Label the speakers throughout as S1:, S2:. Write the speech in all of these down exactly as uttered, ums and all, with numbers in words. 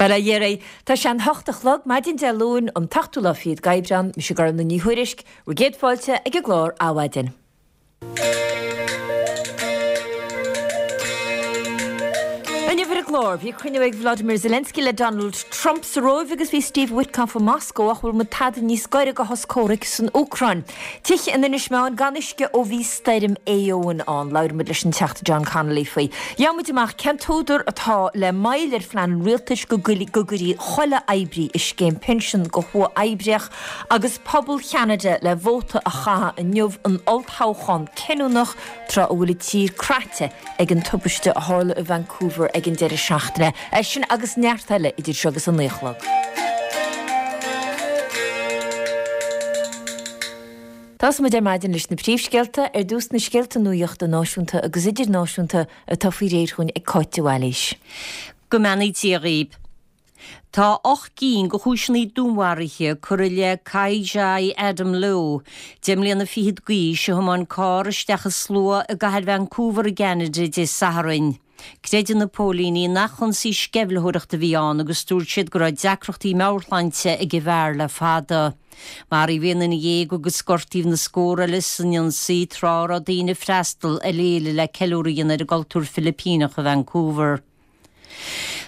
S1: Bail ó Dhia oraibh. Tá sé an hocht a chlog, maidin Dé Luain, an t-ochtú lá fichead d'Aibreán, mise Gormlaith Ní Thuairisg, bhur gcéad fáilte ag an gclár Adhmhaidin. Inniu ar an gclár, bhí cruinniú ag Volodymyr Zelensky le Donald Trump sa Róimh agus bhí Steve Witkoff i Moscó ach bhfuil muid tada níos gaire do shos comhraic san Úcráin. Tithe in Inis Meáin gan uisce ó bhí stoirm Éowyn ann. Labhróidh muid leis an Teachta John Connolly faoi. Gheobhaidh muid amach cén t-údar atá le moill ar phlean an rialtais go gcuirfí chuile oibrí i scéim pinsean go huathoibríoch agus pobal Cheanada le vóta a chaitheamh inniu in olltoghchán cinniúnach tráth a bhfuil an tír craite ag an tubaiste a tharla i Vancouver ag an deireadh seachtaine. É sin agus neart eile idir seo agus a naoi a chlog. Tosóidh muid ar maidin leis na príomhscéalta, ar dtús na scéalta nuachta náisiúnta agus idirnáisiúnta atá faoi réir chugainn ag Cáit de Bhailís.
S2: Go mbeannaí Dia dhaoib. Tá ocht gcinn de chúiseanna dúnmharaithe curtha i leith Kai Jai Adam Low, deich mbliana fichead d'aois, a thiomáin carr isteach i slua i gcathair Vancouver i gCeanada Dé Sathairn. Creideann na póilíní nach ionsaí sceimhlitheoireachta a bhí ann agus dúirt siad go raibh deacrachtaí meabhairshláinte ag an bhfear le fada. Maraíodh aon duine dhéag agus gortaíodh na scór eile san ionsaí tráth a raibh daoine ag freastal ar fhéile le ceiliúradh a dhéanamh ar an gcultúr Filipíneach i Vancouver.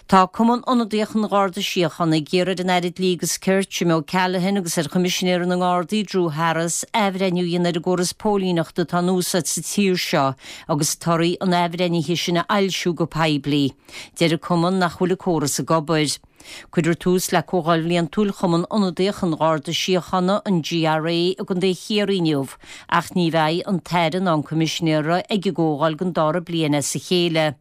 S2: Tá Cumann Ionadaíoch an Gharda Síochána ag iarraidh ar an Aire Dlí agus Cirt, Jim O'Callaghan agus ar Choimisinéir na nGardaí, Drew Harris, athbhreithniú a dhéanamh ar an gcóras póilíneachta atá in úsáid sa tír seo agus torthaí an athbhreithnithe sin a fhoilsiú go poiblí. Deir an Cumann nach bhfuil an córas ag obair. Cuirfear tús le Comhdháil Bhliantúil Chumann Ionadaíoch an Gharda Síochána, an GRA, i gContae Chiarraí inniu, ach ní bheidh an tAire ná an Coimisinéir ag an gcomhdháil don dara bliain as a chéile.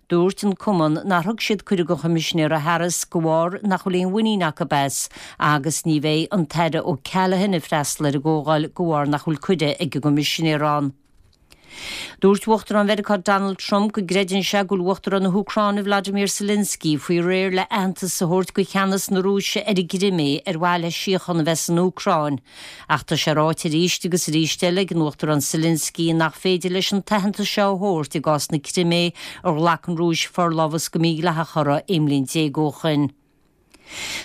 S2: Dúirt an Cumann nár thug siad cuireadh don Choimisinéara Harris de bharr nach bhfuil aon mhuinín acu as agus ní bheidh an tAire O'Callaghan ag freastal ar an gcomhdháil de bharr nach bhfuil cuireadh ag an gCoimisinéir ann. Dúirt Uachtarán Mheiriceá Donald Trump go gcreideann sé go bhfuil Uachtarán na hÚcráine Vladimir Zelensky faoi réir le aitheantas a thabhairt do cheannas na Rúise ar an gCrimé ar mhaithe le síocháin a bheith san Úcráin. Ach tá sé ráite arís agus arís eile ag an Uachtarán Zelensky nach féidir leis an t-aitheantas seo a thabhairt i gcás na Crimé ar ghlac an Rúis forlámhas go mídhleathach uirthi aon bhliain déag ó shin.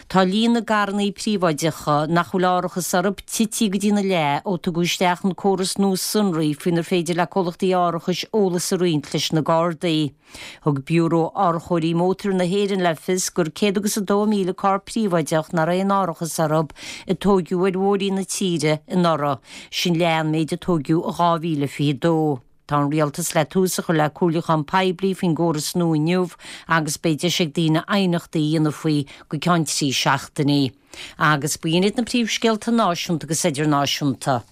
S2: Tá líon na gcarrannaí príobháideacha nach bhfuil árachas orthu tite go dtína leath ó tugadh isteach an córas nua sonraí faoinar féidir le comhlachtaí árachais eolas a roinnt leis na Gardaí. Thug Biúró Árachóirí Mótair na hÉireann le fios gur céad agus a dó míle carr príobháideach nach raibh aon árachas orthu a tóigeadh ar bhóithrí na tíre anuraidh, sin leath an méid a tóigeadh i dhá mhíle fiche dó. Tá an Rialtas le tús a chur le comhairliúchán poiblí faoin gcóras nua inniu agus beidh deis ag daoine aighneachtaí a dhéanamh faoi go ceann trí seachtainí. Agus b'in iad na príomhscéalta náisiúnta agus idirnáisiúnta.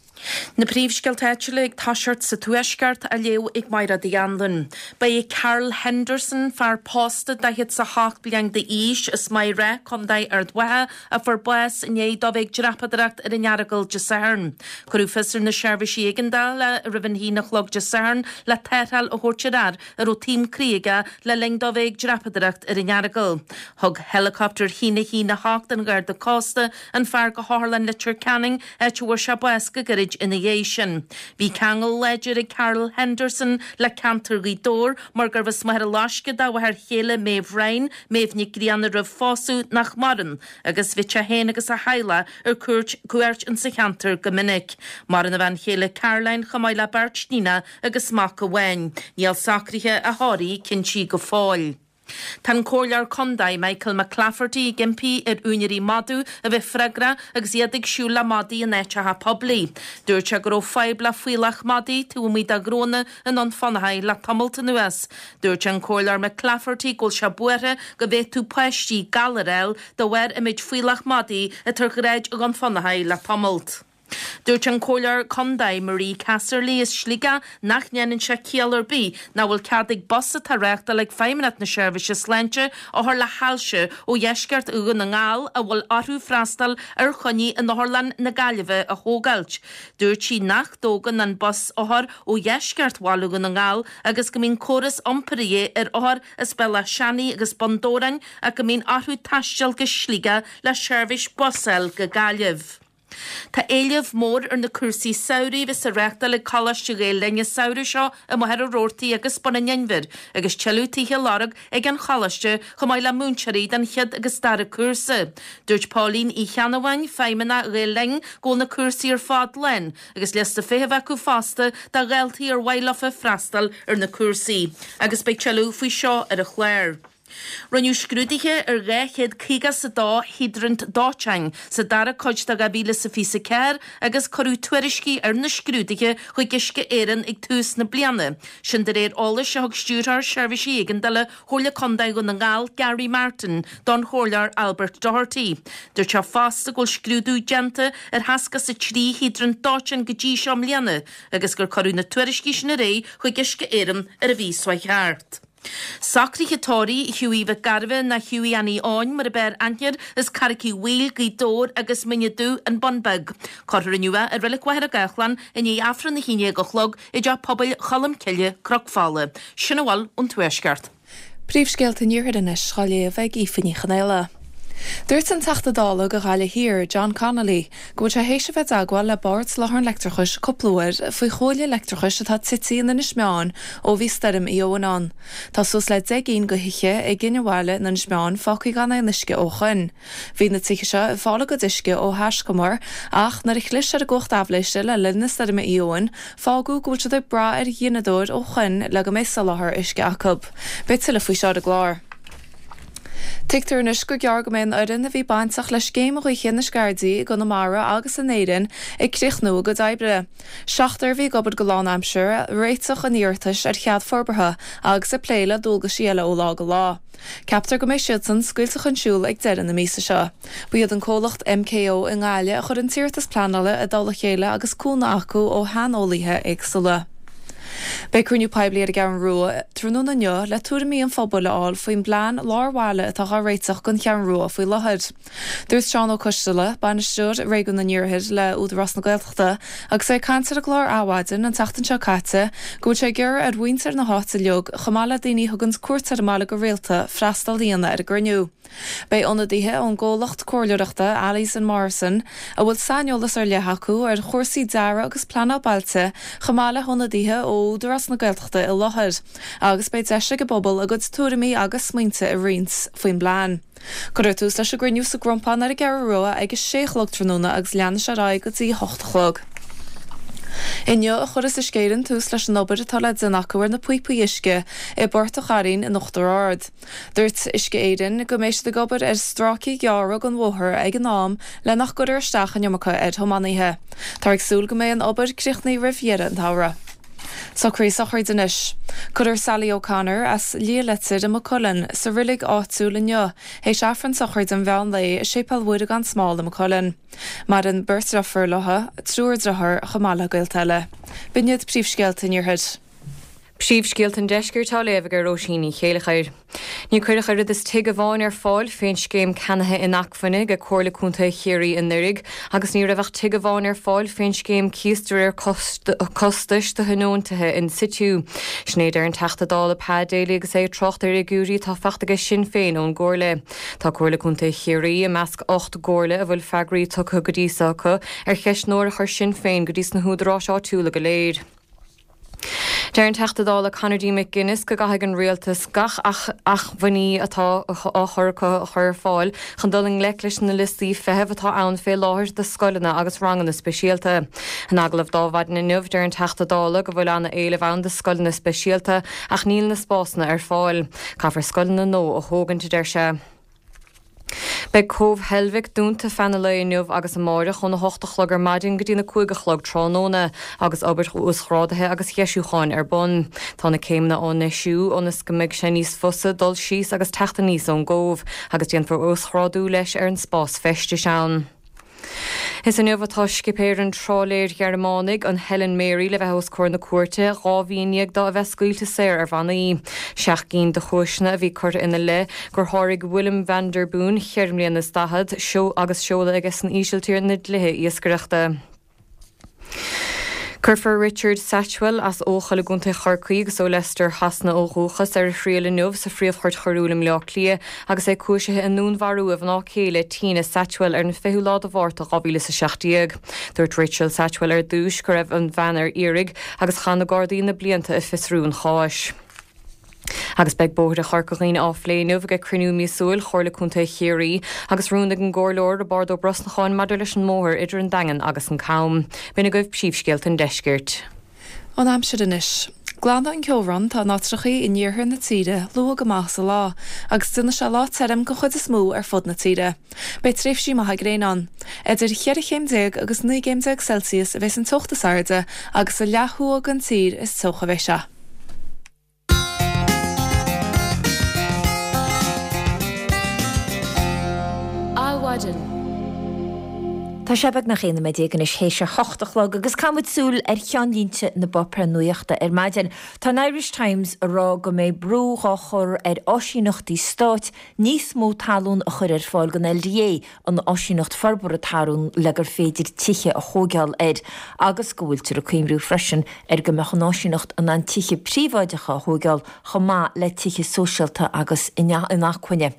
S3: Na príomhscéalta áitiúla ag toiseacht sa Tuaisceart á léamh ag Máire Uí Anluain. Ba é Carl Henderson, fear pósta daichead 's a hocht bliain d'aois as Maigh Rath, Contae Ard Mhacha, a fuair bás i ndiaidh dó bheith ag dreapadóireacht ar an Earagail Dé Sathairn. Cuireadh fios ar na seirbhísí éigeandála roimh an haon a chlog Dé Sathairn le tarrtháil a thabhairt ar fhear a raibh taom croí aige le linn dó bheith ag dreapadóireacht ar an Earagail. Thug heileacaptar a haon a haon a hocht an Gharda Cósta an fear go hOtharlann Leitir Ceanainn, áit a bhfuair sé bás go gairid ina dhiaidh sin. Bhí ceangal láidir ag Carl Henderson le ceantar Ghaoth Dobhair mar gurbh as Machaire Loiscthe dá mháthair chéile Maeve Ryan, Maeve Nic Grianna roimh phósadh, nach maireann, agus bhíodh sé féin agus a theaghlach ar cuairt cuairt insa cheantar go minic. Maireann a bhean chéile Caroline chomh maith le beirt níonacha agus mac amháin. Níl socruithe a thórraimh cinntí go fóill. Tá an Comhairleoir Contae Michael McClafferty ag impí ar úinéirí madadh a bheith freagrach agus iad ag siúl le madaí in áiteacha poiblí. Dúirt sé go raibh fadhb le fuíollach madaí taobh amuigh de ghnónna i nDún Fionnachaidh le tamalt anuas. Dúirt an Comhairleoir McClafferty go bhfuil sé buartha go bhféadfadh páistí galar a fháil de bharr an méid fuíollach madaí atá ar shráid Dhún Fionnachaidh le tamalt. Dúirt an Comhairleoir Contae Marie Casserly as Sligeach nach ndéanann sé ciall ar bith nach bhfuil cead ag bus atá á reáchtáil ag Feidhmeannacht na Seirbhíse Sláinte othair le hailse ó dheisceart Dhún na nGall a bhfuil orthu freastal ar choinní in Otharlann na Gaillimhe a thógáilt. Dúirt sí nach dtógann an bus othair ó dheisceart bhaile Dhún na nGall agus go mbíonn córas iompair a dhíth ar othair as Bealach Seanaidh agus Bun Dobhráin ach go mbíonn orthu taisteal go Sligeach le seirbhís bus a fháil go Gaillimh. Tá éileamh mór ar na cúrsaí samhraidh a bheas á reáchtáil ag Coláiste Ghael Linn an samhradh seo i Machaire Rabhartaigh agus Bun an Inbhir agus tuilleadh tithe á lorg ag an choláiste chomh maith le múinteoirí don chéad agus dara cúrsa. Dúirt Pauline Uí Cheannabháin, Feidhmeannach Ghael Linn, go bhfuil na cúrsaí ar fad lán agus liosta feithimh acu fosta do dhaltaí ar mhaith leofa freastal ar na cúrsaí agus beidh tuilleadh faoi seo ar an chlár. Rinneadh scrúduithe ar dhá chéad caoga is a dó hiodrant dóiteáin sa dara cuid de dhá mhíle is a fiche a ceathair agus cuireadh tuairiscí ar na scrúduithe chuig Uisce Éireann ag tús na bliana. Sin de réir eolais a thug Stiúrthóir Seirbhísí Éigeandála Chomhairle Contae Dhún na nGall, Gary Martin, don Chomhairleoir Albert Doherty. Dúirt sé fosta go bhfuil scrúdú déanta ar sheasca is a trí hiodrant dóiteáin go dtí seo i mbliana agus gur cuireadh na tuairiscí sin ar aghaidh chuig Uisce Éireann ar an mhí seo thart. Socruithe tórraimh Hughie Mhic Gairbheith ná Hughie Annie Eoin mar ab fhearr aithne air as Carraig Uí Bhaoill, Gaoth Dobhair agus Muine Dubh, An Bun Beag. Cuirfear inniu é i Reilig Mhachaire Gathlán i ndiaidh Aifreann a haon déag a chlog i dTeach Pobail Cholm Cille, Cnoc Fola. Sin a bhfuil ón Tuaisceart.
S4: Príomhscéalta an Iarthair anois á léamh ag Aoife Ní Chonaola. Dúirt an Teachta Dála do Ghaillimh Thiar, John Connolly, go bhfuil sé théis a bheith i dteagmháil le Bord Soláthair an Leictreachais cúpla uair faoi chuaille leictreachais atá tite in Inis Meáin ó bhí stoirm Éowyn ann. Tá suas le deich gcinn de thithe i gCinnebhaile in Inis Meáin fágtha gan aon uisce ó shoin. Bhí na tithe seo ag fáil a gcuid uisce ó thaiscumar ach nuair a chlis ar an gcumhacht aibhléise le linn na stoirme Éowyn, fágadh go bhfuil siad ag brath ar ghineadóir ó shoin le go mbeidh soláthar uisce acu. Beidh tuilleadh faoi seo ar an gclár. Tuigtear anois gur gearr go mbeidh an fhoireann a bhí bainteach le scéim ghaoithe na Scairdí i gConamara agus in Éirinn ag críochnú a gcuid oibre. Seachtar a bhí ag obair go lánaimseartha ag réiteach an iarratais ar chead forbartha agus ag plé le dualgaisí eile ó lá go lá. Ceaptar go mbeidh siadsan scaoilte chun siúil ag deireadh na míosa seo. Ba iad an comhlacht MKO i nGaillimh a chuir an t-iarratas pleanála i dtoll a chéile agus cúnamh acu ó shaineolaithe éagsúla. Beidh cruinniú poiblí ar an gCeathrú Rua tráthnóna inniu le tuairimí an phobail a fháil faoin bplean lár bhaile atá á réiteach don Cheathrú Rua faoi láthair. Dúirt Seán Ó Coisteala, Bainisteoir Réigiún an Iarthair le Údarás na Gaeltachta, agus é ag caint ar an gclár Adhmhaidin an tseachtain seo caite, go bhfuil sé ag iarraidh ar mhuintir na háite uilig, chomh maith le daoine a thuganns cuairt ar an mbaile go rialta, freastal a dhéanamh ar an gcruinniú. Beidh ionadaithe ón gcomhlacht comhairleoireachta Allies and Morrison, a bhfuil saineolas ar leith acu ar chúrsaí dearaidh agus pleanáil bailte, chomh maith le hionadaithe ó Údarás na Gaeltachta i láthair, agus beidh deis ag an bpobal a gcuid tuairimí agus smaointe a roinnt faoin bplean. Cuirfear tús leis an gcruinniú sa gCrompán ar an gCeathrú Rua ag a sé a chlog tráthnóna agus leanfaidh sé ar aghaidh go dtí a hocht a chlog. Inniu a chuirfeas Uisce Éireann tús leis an obair atá le déanamh acu ar na píopaí uisce i bPort an Chairn in Uachtar Ard. Dúirt Uisce Éireann go mbeidh siad ag obair ar stráicí gearra den bhóthar ag an am le nach gcuirfear isteach an iomarca ar thiománaithe. Táthar ag súil go mbeidh an obair críochnaithe roimh dheireadh an tsamhraidh. Socruithe sochraide anois. Cuirfear Sally O'Connor as Liath Leitir i Maigh Cuilinn sa reilig áitiúil inniu théis Aifreann sochraide an mheán lae i Séipéal Mhuire gan Smál i Maigh Cuilinn. Maireann beirt deirfiúr léi, triúr dearthár chomh maith le gaolta eile. B'in iad príomhscéalta an Iarthair.
S5: Príomhscéalta an Deiscirt á léamh ag Róisín Ní Chéilleachair. Ní cuireadh oiread is tigh amháin ar fáil fén scéim ceannaithe inacmhainne ag Comhairle Contae Chiarraí anuraidh agus ní raibh ach tigh amháin ar fáil fén scéim cíos de réir costais do thionóntaithe in situ. Sin é a deir an Teachta Dála Pa Daly agus é ag trácht ar fhigiúirí atá faighte aige Sinn Féin ón gComhairle. Tá Comhairle Contae Chiarraí i measc ocht gcomhairle a bhfuil freagraí tugtha go dtí seo acu ar cheistneoir a chuir Sinn Féin go dtí sna húdaráis áitiúla go léir. Deir an Teachta Dála Conor D. McGuinness go gcaithfidh an rialtas gach acmhainní atá á chur acu a chur ar fáil chun dul i ngleic leis na liostaí feithimh atá ann fé láthair do scoileanna agus ranganna speisialta. In agallamh d'Adhmhaidin inniu, deir an Teachta Dála go bhfuil ana-éileamh ann do scoileanna speisialta ach níl na spásanna ar fáil. Caithfear scoileanna nua a thógaint, a deir sé. Beidh Cóbh Heilbhic dúnta feadh an lae inniu agus amáireach óna hocht a chlog ar maidin go dtína cúig a chlog tráthnóna agus obair uasghrádaithe agus dheisiúcháin ar bun. Tá na céimeanna á ndeisiú ionas go mbeidh sé níos fusa dul síos agus teacht aníos ón gcóbh agus déanfar uasghrádú leis ar an spás feistis ann. Is inniu atá scipéir an trálaeir Ghearmánaigh, an Helen Mary, le bheith os comhair na cúirte, dhá mhí i ndiaidh dó a bheith scaoilte saor ar bhannaí. Seacht gcinn de chúiseanna a bhí curtha ina leith gur sháraigh Willem van der Boon, cheithre mbliana is daichead, agus seoladh aige san Ísiltír, na dlíthe iascaireachta. Cuirfear Richard Satchwell as Eochaill i gContae Chorcaí agus ó Leicester Shasana ó dhúchas ar a thriail inniu sa Phríomh-Chúirt Choiriúil i mBleá Cliath agus é cúisithe i ndúnmharú a mhná céile Tina Satchwell ar an fichiú lá de Mhárta dhá mhíle is a seacht déag. Dúirt Rachel Satchwell ar dtús go raibh an bhean ar iarraidh agus chaith na Gardaí na blianta ag fiosrú an cháis. Agus beidh bóithre Chorca Dhuibhne á phlé inniu ag cruinniú míosúil Chomhairle Contae Chiarraí agus rún ag an gComhairleoir Roibeárd Ó Brosnacháin maidir leis an mbóthar idir an Daingean agus an Cam. B'in agaibh príomhscéalta an deiscirt.
S4: An aimsir anois. Glanfaidh an ceobhrán atá in áitreachaí in iarthar na tíre luath go maith sa lá agus déanfaidh sé lá tirim den chuid is mó ar fud na tíre. Beidh tréimhsí maithe gréine ann. Idir cheithre chéim déag agus naoi gcéim déag Celsius a bheas an teocht is airde agus sa leath thuaidh den tír is teocha a bheidh sé.
S1: Adhmhaidin. Tá sé beagnach aon nóiméad déag anois théis a hocht a chlog agus caithfidh muid súil ar cheannlínte na bpáipéar nuachta ar maidin. Tá an Irish Times ag rá go mbeidh brú dhá chur ar áisíneachtaí stáit níos mó talún a chur ar fáil don LDA, an áisíneacht forbartha talún le gur féidir tithe a thógáil air, agus go bhfuiltear ag cuimhniú freisin ar go mbeadh an áisíneacht in ann tithe príobháideacha a thógáil chomh maith le tithe sóisialta agus inacmhainne.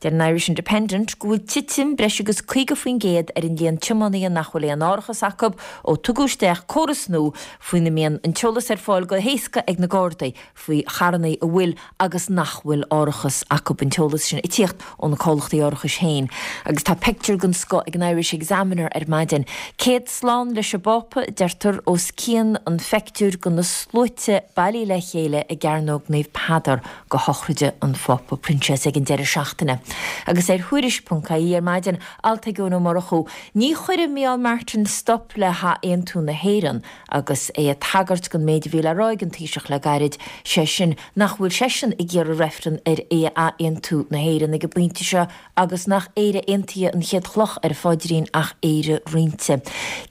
S1: Deir an Irish Independent go bhfuil titim breis agus caoga faoin gcéad ar an líon tiománaithe nach bhfuil aon árachas acu ó tugadh isteach córas nua faoina mbíonn an t-eolas ar fáil go héasca ag na Gardaí faoi charranna a bhfuil agus nach bhfuil árachas acu, an t-eolas sin ag tíocht ó na comhlachtaí árachais féin. Agus tá pictiúr den scoth ag an Irish Examiner ar maidin. Céad slán leis an bPápa, deirtear, os cionn an phictiúir de na sluaite bailithe le chéile i gCearnóg Naomh Peadar go shochraide an Phápa Proinsias ag an deireadh seachtaine. Agus ar Thuairisc ponc ie ar maidin, alt ag Eoin Ó Murchú, ní chuirfidh Micheál Martin stop le hathaontú na hÉireann agus é ag tagairt don méid a bhí le rá ag an Taoiseach le gairid, sé sin nach bhfuil seisean ag iarraidh reifreann ar athaontú na hÉireann ag an bpointe seo agus nach Éire aontaithe an chéad chloch ar a phaidrín ach Éire roinnte.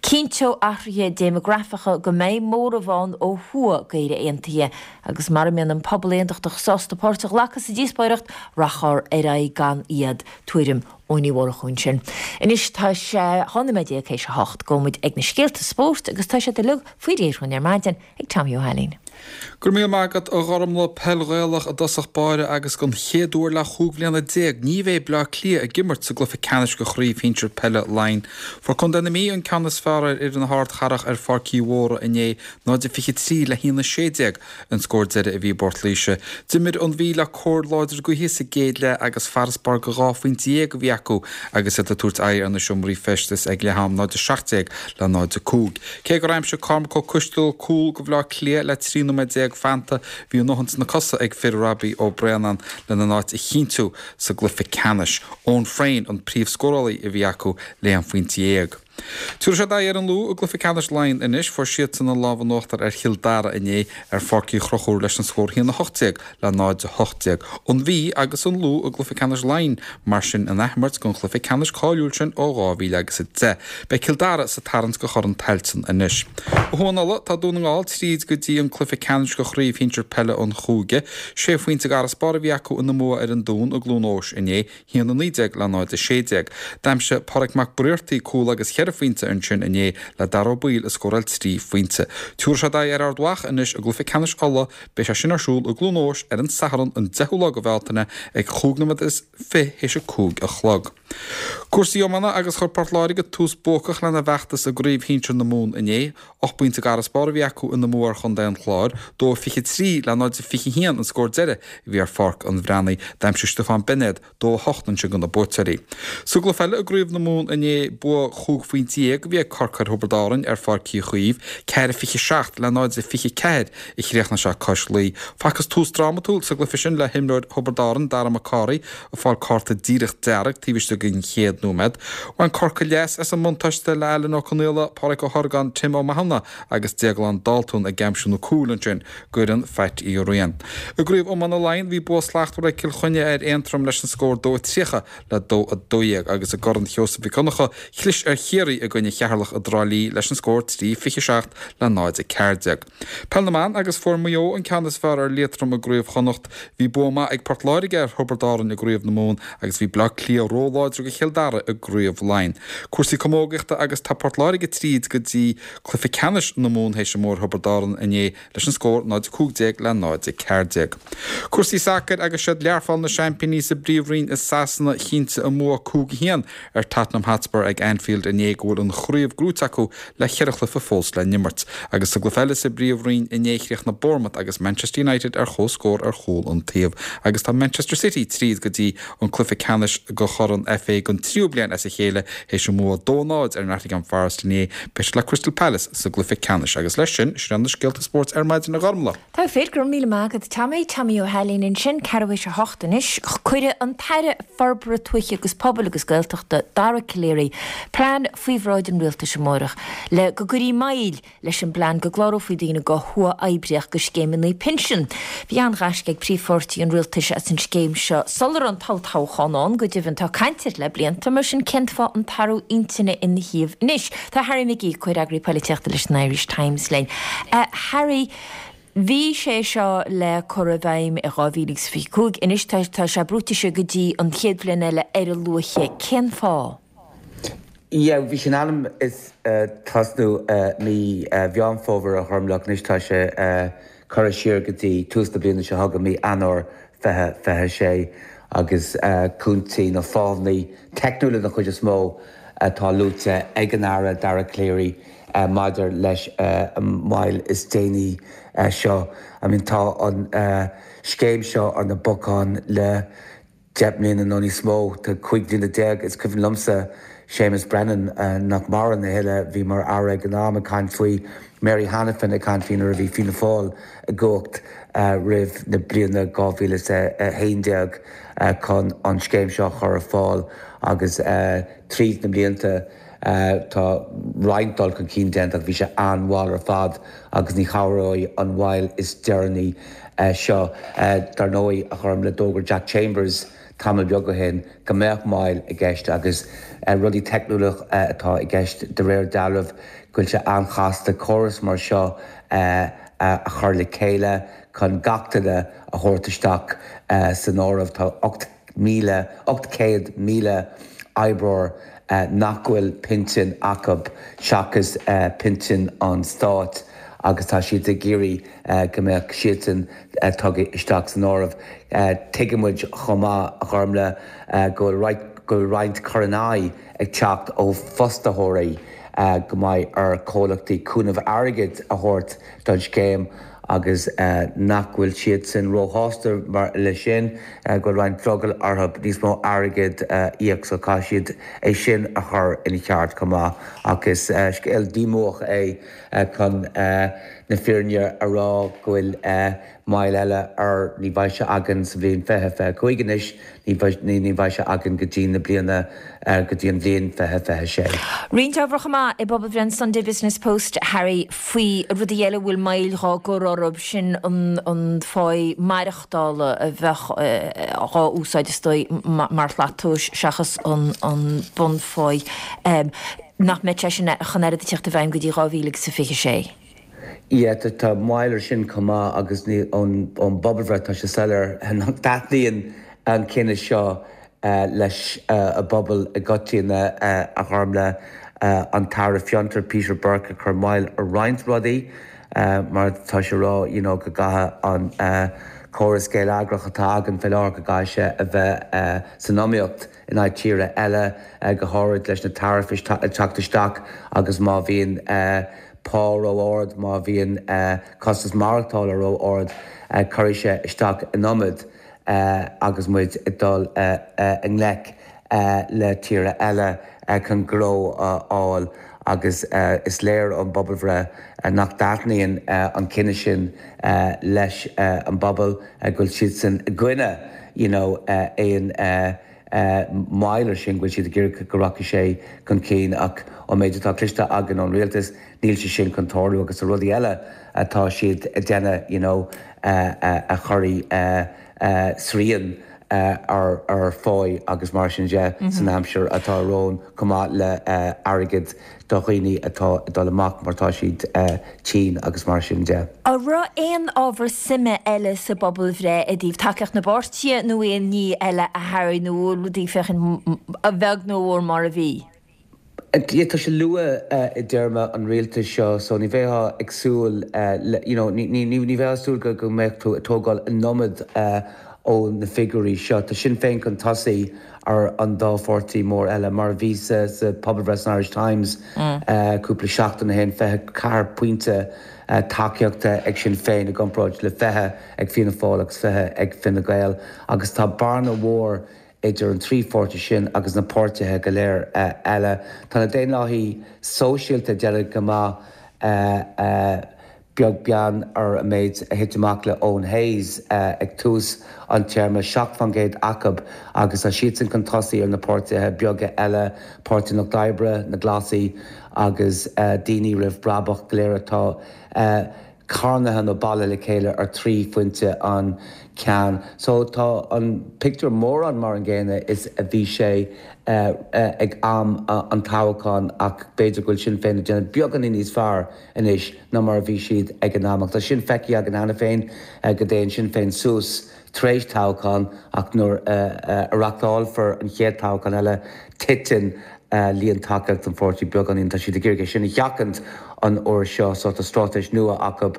S1: Cinnteoidh athruithe déimeagrafacha go mbeidh móramh ann ó thuaidh d'Éire aontaithe agus mara mbíonn an pobal aontachtach sásta páirt a ghlacadh sa díospóireacht, rachfar ar aghaidh gan iad. Tuairim Eoin Uí Mhurchú ansin. Anois tá sé dhá nóiméad déag théis a hocht. Gabhfaidh muid ag na scéalta spóirt agus tá siad uilig faoi réir dhúinn ar maidin ag Tommy Ó hAilín.
S6: Go raibh míle maith agat a Ghormlaith. Peil Ghaelach i dtosach báire agus don chéad uair le chúig bhliana déag ní bheidh Bleá Cliath ag imirt sa gcluiche ceannais de chraobh shinsir peile Laighean. Fuair Contae na Mí an ceann is fearr ar fhoireann na hArdchathrach ar Pháirc Uí Mhórdha inné, náid a fiche trí le haon a sé déag an scór deiridh a bhí i bPort Laoise. D'imir an Mhí le cóir láidir gaoithe sa gcéad leath agus farasbarr de dhá phointe dhéag a bhí acu agus iad ag tabhairt aghaidh ar na seomraí feistis ag leath am, náid a seacht déag le náid a cúig. Cé gur aimsigh Cormac Ó Coisteal cúl do Bhleá Cliath le trí nóiméad déag fanta, bhí a ndóthain sna cosa ag fir Robbie Ó Braonáin lena n-áit a chinntiú sa gcluiche ceannais. Eoin Frayne an príomhscórálaí a bhí acu le haon phointe dhéag. Tabharfaidh siad aghaidh ar an Lú i gcluiche ceannais Laighean anois. Fuair siadsan an lámh in uachtar ar Chill Dara inné ar Pháirc Uí Chonchúir leis an scór a haon a hocht déag le náid a hocht déag. An Mhí agus an Lú i gcluiche ceannais Laighean mar sin in athimirt den chluiche ceannais cáiliúil sin ó dhá mhíle agus a deich. Beidh Cill Dara sa tarraingt do Chorn Tailteann anois. Ó thuaidh in Uladh, tá Dún na nGall tríd go dtí an cluiche ceannais de chraobh shinsir peile an chúige. Sé phointe d'fharasbarr a bhí acu ina mbua ar an Dún i gCluain Eois inné, a haon a naoi déag le náid a sé déag. D'aimsigh Pádraig Mac Briartaigh cúl agus cheithre phointe ansin inné le Dara Ó Baoill ag scóráil trí phointe. Tabharfaidh siad aghaidh ar Ard Mhacha anois i gcluiche ceannais Uladh. Beidh sé sin ar siúl i gCluain Eois ar an Satharn an deichiú lá de Bhealtaine ag chúig nóiméad is fiche théis a cúig a chlog. Cúrsaí iomána agus chuir Port Láirge tús buacach lena bhfeachtas i gCraobh Shinsir na Mumhan inné. Ocht bpointe d'fharasbarr a bhí acu ina mbua ar chontae an Chláir, dó a fiche trí le náid a fiche haon an scór deiridh a bhí ar Pháirc an Bhreathnaigh. D'aimsigh Stiofán Beinéad dó a hocht ansin do na buaiteoirí. Sa gcluiche eile i gCraobh na Mumhan inné, bua chúig phointe dhéag a bhí ag Corcaigh ar Thiobraid Árann ar Pháirc Uí Chaoimh, ceathair a fiche seacht le náid a fiche ceathair a chríochnaigh sé cois Laoi. Facthas tús drámatúil sa gcluiche sin le himreoir Thiobraid Árann, Dara Mac Cárthaigh, ag fáil cárta díreach dearg taobh istigh den chéad nóiméad. Bhain Corcaigh leas as an mbuntáiste le Alan Ó Conaola, Pádraig Ó hOrgáin, Tim Ó Mathúna agus Déaglán Daltún ag aimsiú na cúil ansin d'fhoireann Phat Uí Riain. I gCraobh Iomána Laighean bhí bua slachtmhar ag Cill Chainnigh ar Aontroim leis an scór dó a tríocha le dó a dó dhéag agus i gCorn Sheosaimh Mhic Dhonncha chlis ar Chiarraí Ciarraí i gcoinne Cheatharlach i dTrá Lí leis an scór trí fiche seacht le náid a ceathair déag. Peil na mBan agus fuair Maigh Eo an ceann is fearr ar Liatroim i gCraobh Chonnacht. Bhí bua maith ag Port Láirge ar Thiobraid Árann i gCraobh na Mumhan agus bhí Bleá Cliath róláidir do Chill Dara i gCraobh Laighean. Cúrsaí camógaíochta agus tá Port Láirge tríd go dtí cluiche ceannais na Mumhan théis a mbua ar Thiobraid Árann inné leis an scór náid a cúig déag le náid a ceathair déag. Cúrsaí sacair agus siad Learpholl na seaimpíní sa bPríomhroinn i Sasana chinntigh a mbua cúig a haon ar Tottenham Hotspur ag Anfield inné go bhfuil an chraobh gnóite acu le ceithre chluiche fós le n-imirt. Agus sa gcluiche eile sa bPríomhroinn inné chríochnaigh Bournemouth agus Manchester United ar comhscór ar chúl an taobh. Agus tá Manchester City tríd go dtí an cluiche ceannais de Chorn FA don tríú bliain as a chéile théis a mbua dó náid ar Nottingham Forest inné beidh siad le Crystal Palace sa gcluiche ceannais. Agus leis sin sin na scéalta spóirt ar maidin a Ghormlaith.
S1: Tá féir go míle maith agat Tommy Tommy Ó hAilín ansin ceathrú théis a hocht anois Cuirfidh an tAire Forbartha Tuaithe agus Pobail agus Gaeltachta Dara Calleary plean faoi bhráid an rialtais amárach le go gcuirfí moill leis an bplean go gclárófaí daoine go huathoibríoch do scéimeanna pinsin. Bhí an-ghaisce ag príomhpháirtí an rialtais as an scéim seo sular an tolltoghchán ann go deimhin tá caint air le blianta mar sin cén fáth an t-athrú intinne ina thaobh anois. Tá Harry McGee comhfhreagraí polaitíochta leis an Irish Times linn. Uh, Harry, Bhí sé seo le cur i bhfeidhm i dhá mhíle agus fiche cúig anois tá tá sé brúite siar go dtí an chéad bhliain eile ar a luaithe cén fáth.
S7: Yeah, bhí sin ainm is uh, tosnú uh, mí uh, Mheán Fómhair a Ghormlaith anois tá sé uh, curtha siar go dtí tús na bliana seo chugainn mí Eanáir fiche fiche sé agus uh, cúinsí nó fáthanna teicniúla den chuid is mó atá luaite ag an Aire Dara Calleary uh, maidir leis uh, an moill is déanaí uh, seo. I mean, tá an uh, scéim seo ar na bacáin le deich mbliana nó níos mó tá cúig bliana déag is cuimhin liomsa Seamus Brennan uh, nach maireann a thuilleadh bhí mar aire ag an am ag caint faoi Mary Hanafin ag caint faoi nuair a bhí Fianna Fáil i gcumhacht uh, roimh na bliana dhá mhíle a haon déag uh, chun an scéim seo chur ar fáil agus uh, tríd na blianta uh, tá roinnt dul chun cinn déanta bhí sé an-mhall ar fad agus ní chabhróidh an mhoill is deireanaí uh, seo uh, dar ndóigh a Ghormlaith d'fhógair Jack Chambers tamall beag ó shin go mbeadh moill i gceist agus uh, rudaí teicniúla uh, atá i gceist de réir dealraimh go bhfuil sé an-chasta córas mar seo uh, uh, a chur le chéile chun gach duine a thabhairt isteach uh, san áireamh tá ocht míle ocht céad míle oibreoir uh, nach bhfuil pinsean acu seachas uh, pinsean an stáit agus tá siad ag iarraidh uh, go mbeadh siadsan uh, tugtha isteach san áireamh. Uh, Tuigimid chomh maith a Ghormlaith uh, go go roinnt cur in aghaidh ag teacht ó fhostaitheoirí uh, go mbeidh ar chomhlachtaí cúnamh airgid a thabhairt don scéim agus uh, nach bhfuil siad sin róshásta mar le sin uh, go roinnt drogall orthu níos mó airgid uh, íoc so caithfidh siad é sin a chur ina cheart chomh maith agus uh, scéal díomách é uh, chun uh, na fírinne a rá go bhfuil uh, moill eile ar ní bheidh sé againn sa bhliain fiche fiche cúig anois ní ní bheidh sé againn go dtí na bliana uh, go dtí an bhliain fiche fiche sé.
S1: Roinnt ábhar chomh maith i bpobalbhreith an Sunday Business Post Harry faoi rudaí eile bhfuil moill dhá gcur orthu sin an, an phá maireachtála a bheith dhá úsáid is dóigh mar shlat tomhais seachas an, an bunphá um, nach mbeidh sé sin chun air a teacht i bhfeidhm go dtí dhá mhíle agus fiche sé.
S7: Ie tá moill air sin chomh maith agus ní ón bpobalbhreith tá sé soiléir nach dtaitníonn an cinneadh seo uh, leis uh, an bpobal i gcoitinne uh, a Ghormlaith uh, an tAire Fiontar Peter Burke a chur moill ar roinnt rudaí uh, mar tá sé rá you know, go gcaithfidh an uh, córas geilleagrach atá againn faoi láthair go gcaithfidh sé a bheith uh, san iomaíocht in aghaidh tíortha eile uh, go háirid leis na taraifí teacht isteach agus má bhíonn uh, pá ró-ard má bhíonn uh, costas maireachtála ró-ard uh, cuirfidh sé isteach an iomad uh, agus muid ag dul uh, uh, i ngleic uh, le tíortha eile uh, chun gnó a fháil agus uh, is léir ón bpobalbhreith uh, nach dtaitníonn uh, an cinneadh sin uh, leis uh, an bpobal uh, go bhfuil siad san i gcoinne you know, uh, aon uh, uh, moill air sin go bhfuil siad ag iarraidh go rachaidh sé chun cinn ach ón méid atá cloiste againn ón rialtas níl sé sin chun tarlú agus a rudaí eile atá siad ag déanamh you know, uh, uh, a chuirfidh uh, uh, srian ar ar pháí agus mar sin de san aimsir atá romhainn chomh maith le airgead do dhaoine atá ag dul amach mar tá siad tinn agus mar sin de.
S1: An raibh aon ábhar suime eile sa bpobalbhreith i dtaobh tacaíocht na bpáirtithe nó aon ní eile a tharraing nó rudaí féachaint a bheag nó a mhór mar a bhí?
S7: Tá sé luath i dtéarma an rialtais seo so ní bheifeá ag súil you know ní bheifeá ag súil go mbeadh tú ag tógáil an iomad ó na figiúirí seo. Tá Sinn Féin chun tosaigh ar an dá pháirtí mór eile mar a bhí sa pobalbhreith san Irish Times cúpla seachtain ó shin, fiche ceathair pointe tacaíochta ag Sinn Féin i gcomparáid le fiche ag Fianna Fáil agus fiche ag Fine Gael agus tá bearna mhór idir an trí pháirtí sin agus na páirtithe go léir eile. Tá na Daonlathaithe Sóisialta ag déanamh go maith beag beann ar an méid a thit amach le Eoin Hayes ag tús an téarma, seacht faoin gcéad acu agus tá siadsan chun tosaigh ar na páirtithe beaga eile, Páirtí an Lucht Oibre, na Glasaigh agus Daoine Roimh Bhrabach go léir atá carnaithe nó bailithe le chéile ar trí phointe an ceann. So tá an pictiúr mórán mar an gcéanna is a bhí sé ag am an toghcháin ach b'fhéidir go bhfuil Sinn Féin ag déanamh beagáinín níos fearr anois ná mar a bhí siad ag an am. Ach tá sin feicthe againn cheana féin go dtéann Sinn Féin suas tar éis toghchán ach nuair a reachtálfar an chéad toghchán eile titeann líon tacaíocht an pháirtí beagáinín. Tá siad ag iarraidh é sin a sheachaint an uair seo so tá straitéis nua acu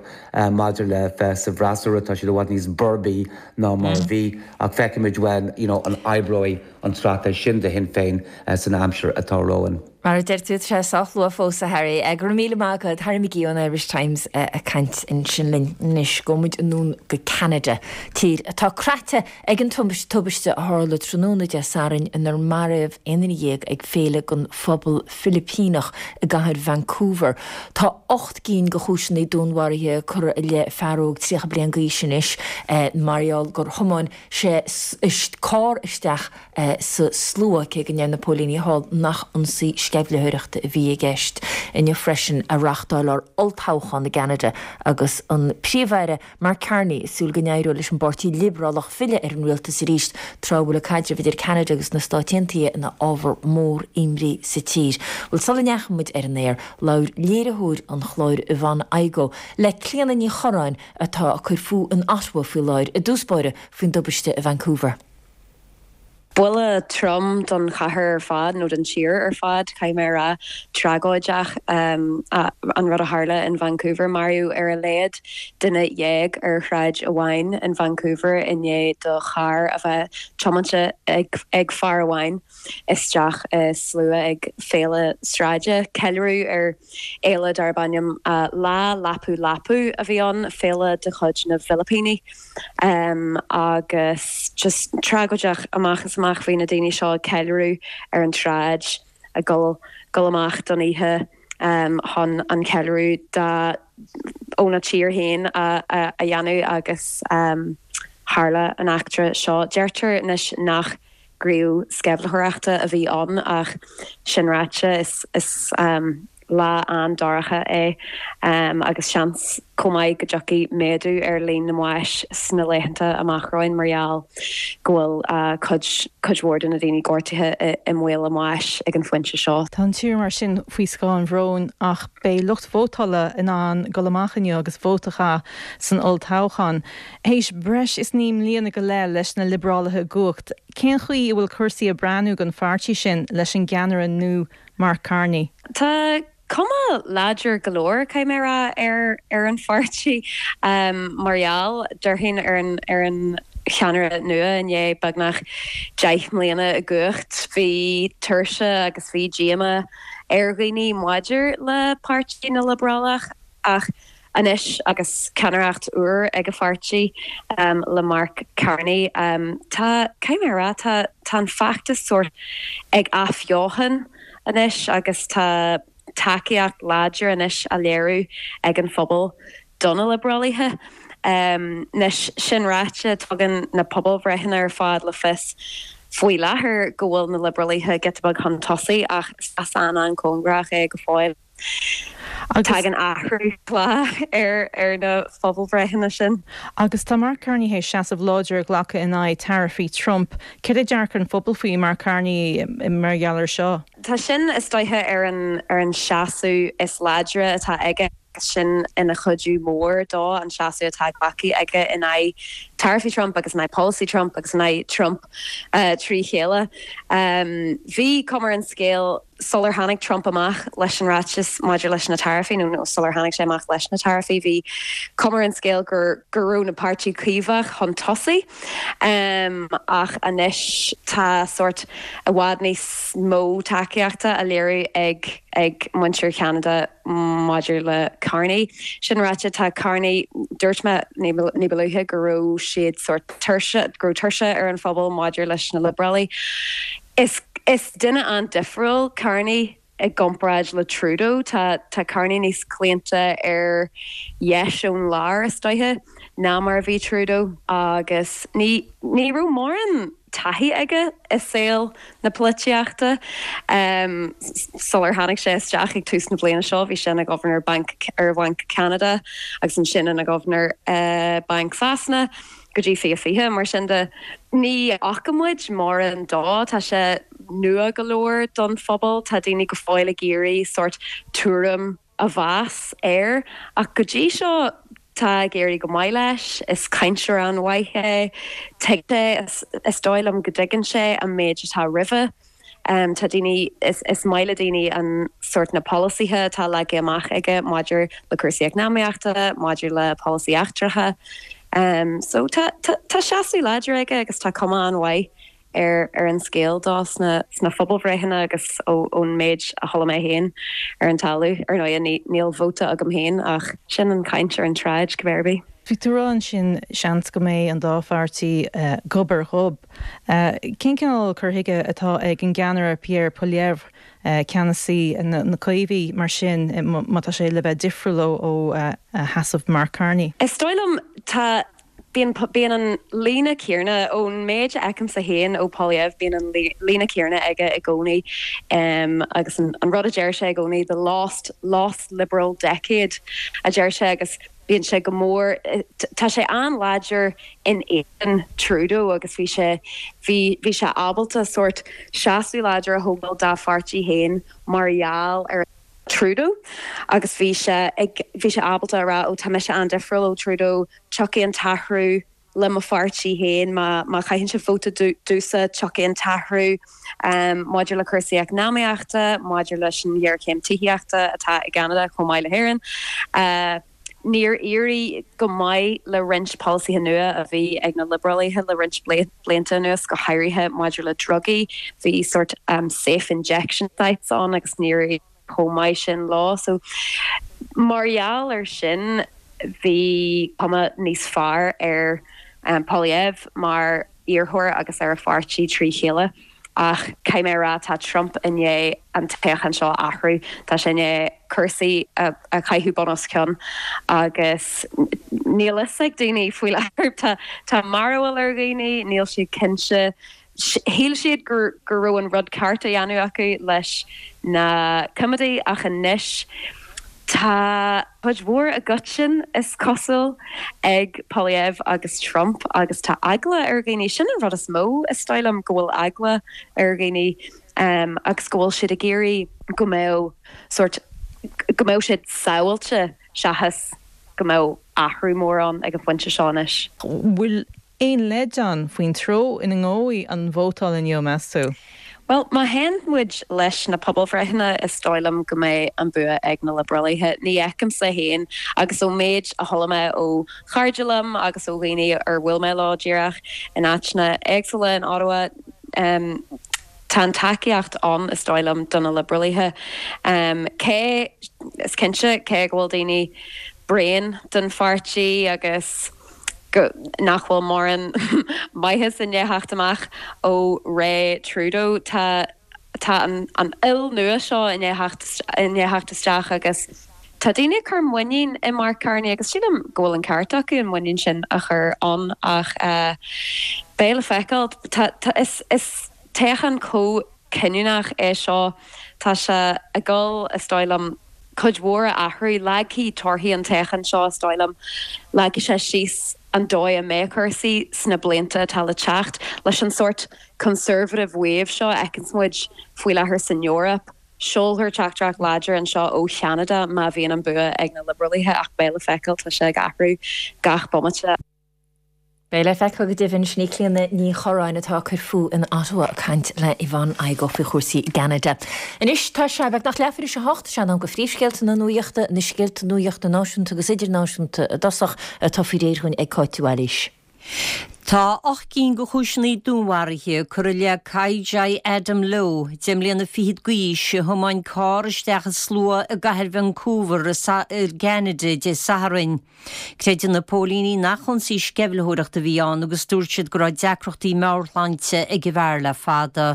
S7: maidir le bheith sa bhfreasúra. Tá siad i bhfad níos boirbe ná mar a bhí ach feicfimid uainn you know an oibreoidh an straitéis sin do Shinn Féin san aimsir atá romhainn.
S1: Mar a deir tú, tá sé sách luath fós, a Harry. Go raibh míle maith agat, Harry McGee ón Irish Times ag caint ansin linn. Anois, gabhfaidh muid anonn go Ceanada, tír atá croite ag an tubaiste a tharla tráthnóna Dé Sathairn inar maraíodh aon duine dhéag ag féile don phobal Filipíneach i gcathair Vancouver. Tá ocht gcinn de chúiseanna dúnmharaithe curtha i leith fear óg tríocha bliain d'aois anois mar gheall gur thiomáin sé carr isteach sa slua, cé go ndeir na póilíní thall nach ionsaí sceimhlitheoireachta a bhí i gceist. Inniu freisin a reáchtáiltear olltoghchán i gCeanada agus an Príomh-Aire Mark Carney ag súil go n-éireoidh leis an bPáirtí Liobrálach filleadh ar an rialtas arís tráth a bhfuil an caidreamh idir Ceanada agus na Stáit Aontaithe ina ábhar mór imní sa tír. Bhuel, sula ndeachaigh muid ar an aer, labhair léiritheoir an chláir Yvonne Igoe le Clíona Ní Chorráin atá ag cur fúithi in Ottawa faoi láthair i dtús báire faoin dtubaiste i Vancouver.
S8: Buille trom don chathair ar fad nó don tír ar fad, caithfidh mé a rá, tragóideach an rud a tharla in Vancouver. Maraíodh ar a laghad duine dhéag ar shráid amháin in Vancouver i ndiaidh do charr a bheith tiomáinte ag fear amháin isteach i slua ag féile sráide. Ceiliúradh ar fhéile darb ainm Lá Lapu Lapu a bhí ann, féile de chuid na bhFilipíní. Agus just tragóideach amach is amach, bhí na daoine seo ag ceiliúradh ar an tsráid, ag dul dul amach don oíche chun an ceiliúradh dá óna tír féin a a dhéanamh agus tharla an eachtra seo. Deirtear anois nach gníomh sceimhlitheoireachta a bhí ann ach sin ráite is is lá an-dorcha é agus seans chomh maith go dtiocfaidh méadú ar líon na mbás sna laethanta amach romhainn mar gheall go bhfuil cuid cuid mhór de na daoine gortaithe i mbaol a mbáis ag an phointe seo.
S4: Tá an tír mar sin faoi scáth an bhróin ach beidh lucht vótála in ann dul amach inniu agus vóta a chaitheamh san olltoghchán. Théis breis is naoi mbliana go leith leis na Liobrálaithe i gcumhacht, cén chaoi a bhfuil cúrsaí ag breathnú don pháirtí sin leis an gceannaire nua Mark Carney?
S8: Tá cuma láidir go leor, caithfidh mé a rá, ar ar an pháirtí mar gheall, déarfainn, ar an ar an cheannaire nua i ndiaidh beagnach deich mbliana i gcumhacht. Bhí tuirse agus bhí díomá ar dhaoine maidir le Páirtí na Liobrálach ach anois agus ceannaireacht úr ag an pháirtí le Mark Carney, tá, caithfidh mé a rá, tá tá an feachtas sórt ag athbheochan anois agus tá tacaíocht láidir anois á léiriú ag an phobal do na Liobrálaithe. Anois, sin ráite, tugann na pobalbhreitheanna ar fad le fios faoi láthair go bhfuil na Liobrálaithe giota beag chun tosaigh ach is an-an-chóngarach é go fóill. Tagann athrú lá ar ar na pobalbhreitheanna sin.
S4: Agus tá Mark Carney théis seasamh láidir a ghlacadh in aghaidh taraifí Trump. Cad é dearcadh an phobail faoi Mark Carney mar gheall air seo?
S8: Tá sin is dóiche ar an ar an seasamh is láidre atá aige sin ina chuidiú mór dó an seasamh atá glactha aige in aghaidh taraifí Trump agus in aghaidh polasaí Trump agus in aghaidh Trump uh, trí chéile. Um, bhí cuma ar an scéal sular tháinig Trump amach leis an ráiteas maidir leis na taraifí nó nó sular tháinig sé amach leis na taraifí bhí cuma ar an scéal gur go raibh na páirtí Caomhach chun tosaigh um, ach anois tá sort i bhfad níos mó tacaíochta á léiriú ag ag muintir Cheanada maidir le Carney. Sin ráite tá Carney dúirt mé ní ba luaithe go raibh siad sort tuirse go raibh tuirse ar an phobal maidir leis na Liobrálaigh. Is is duine an-difriúil Carney i gcomparáid le Trudeau tá tá Carney níos claonta ar dheis ón lár is dóiche ná mar a bhí Trudeau agus ní ní raibh mórán taithí aige i saol na polaitíochta. Um, sular tháinig sé isteach ag tús na bliana seo, bhí sé ina Governor Bank ar Bhanc Canada agus ansin ina Governor uh, Bank Sasana go dtí fiche fiche mar sin de ní fhaca muid mórán dó tá sé nua go leor don phobal tá daoine go fóill ag iarraidh sort tuairim a mheas air ach go dtí seo tá ag éirí go maith leis is cainteoir an-mhaith é tuigte is dóigh liom go dtuigeann sé an méid atá roimhe. Um, tá daoine is, is maith le daoine an sort na polasaithe atá leagtha amach aige maidir le cúrsaí eacnamaíochta, maidir le polasaí eachtracha. Um, so tá tá, tá seasamh láidir aige agus tá cuma an-mhaith ar ar an scéal dó sna sna pobalbhreitheanna agus ón méid a chuala mé féin ar an talamh ar ndóigh níl vóta agam féin ach sin an caint ar an tsráid go b'fhéidir.
S4: Bhí tú ag rá sin seans go mbeidh an dá pháirtí uh, gob ar ghob. Uh, Cén cineál cur chuige atá ag an gceannaire Pierre Poilievre uh, ceannasaí na, na Caomhaigh mar sin má tá sé le bheith difriúil ó uh, sheasamh Mark Carney.
S8: Is dóigh liom tá bíonn bíonn an líne chéanna ón méid a fheicimse féin ó Poilievre bíonn an líne chéanna aige i gcónaí um, agus an, an rud a deir sé i gcónaí the lost lost liberal decade a deir sé agus bíonn sé go mór tá sé an-láidir in éadan Trudeau agus bhí sé bhí bhí sé ábalta sort seasamh láidir a thógáil dá pháirtí féin mar gheall ar Trudeau agus bhí sé ag bhí sé ábalta a rá ó tá mise an-difriúil ó Trudeau tiocfaidh an t-athrú le mo pháirtí féin má má chaitheann sibh vóta domhsa tiocfaidh an t-athrú um, maidir le cúrsaí eacnamaíochta, maidir leis an ghéarchéim tithíochta atá i gCeanada chomh maith le hÉirinn. Uh, Níor éirigh go maith le roinnt polasaithe nua a bhí ag na Liobrálaithe le roinnt blianta anuas go háirithe maidir le drugaí, bhí sort um, safe injection sites ann agus níor chomh maith sin lá so mar gheall ar sin bhí cuma níos fearr ar um, Poilievre mar iarrthóir agus ar a pháirtí trí chéile. Ach caithfidh mé rá tá Trump i ndiaidh an toghchán seo a athrú tá sé i ndiaidh cúrsaí a, a chaitheamh bun os cionn agus níl a fhios ag daoine faoi láthair tá tá mearbhall ar dhaoine níl siad cinnte shíl siad gur go raibh an rud ceart á dhéanamh acu leis na Coimeádaigh ach anois tá cuid mhór i gcoiteann is cosúil ag Poilievre agus Trump agus tá eagla ar dhaoine sin an rud is mó is dóigh liom go bhfuil eagla ar dhaoine um, agus go bhfuil siad ag iarraidh go mbeadh sort go mbeadh siad sábháilte seachas go mbeadh athrú mór ann ag an phointe seo anois.
S4: Bhfuil aon leid ann faoin treo ina ngabhfaidh an vótáil inniu meas tú?
S8: Well, má théann muid leis na pobalbhreitheanna is dóigh liom go mbeidh an bua ag na Liobrálaithe. Ní fheicimse féin agus ó méid a chuala mé ó chairde liom agus ó dhaoine ar bhuail mé leo díreach in áiteanna éagsúla in Ottawa. Um, tá an tacaíocht ann is dóigh liom do na Liobrálaithe. Um, cé is cinnte cé go bhfuil daoine bréan den pháirtí agus go nach bhfuil mórán maitheas i ndiaidh theacht amach ó ré Trudeau tá tá an, an fhuil nua seo i ndiaidh theacht isteach agus tá daoine ag cur muinín i Mark Carney agus sílim go bhfuil an ceart acu an muinín sin a chur ann ach uh, beidh le feiceáil tá, tá, is, is toghchán chomh cinniúnach é seo tá sé ag dul is dóigh liom cuid mhór a athrú. Leagfaidh torthaí an toghcháin seo, is dóigh liom, leagfaidh sé síos an dóigh a mbeidh cúrsaí sna blianta atá le teacht. Leis an sórt conservative wave seo a fheiceanns muid faoi láthair san Eoraip, seolfar teachtaireacht láidir anseo ó Cheanada má bhíonn an bua ag na Liobrálaithe ach beidh le feiceáil, tá sé ag athrú gach bomaite.
S1: Beidh le feiceáil go deimhin. Sin í Clíona Ní Chorráin atá ag cur fúithi in Ottawa ag caint le Yvonne Igoe faoi chúrsaí i gCeanada. Anois tá sé beagnach leathuair tar éis a hocht, sé in am do phríomhscéalta na nuachta, na scéalta nuachta náisiúnta agus idirnáisiúnta i dtosach, atá faoi réir dhúinn ag Cáit de Bhailís.
S2: Tá ocht gcinn de chúiseanna dúnmharaithe curtha i leith Kai-Jai Adam Lowe, deich mbliana fichead d'aois, a thiomáin carr isteach i slua i gcathair Vancouver i gCeanada Dé Sathairn. Creideann na póilíní nach ionsaí sceimhlitheoireachta a bhí ann agus dúirt siad go raibh deacrachtaí meabhairshláinte ag an bhfear le fada.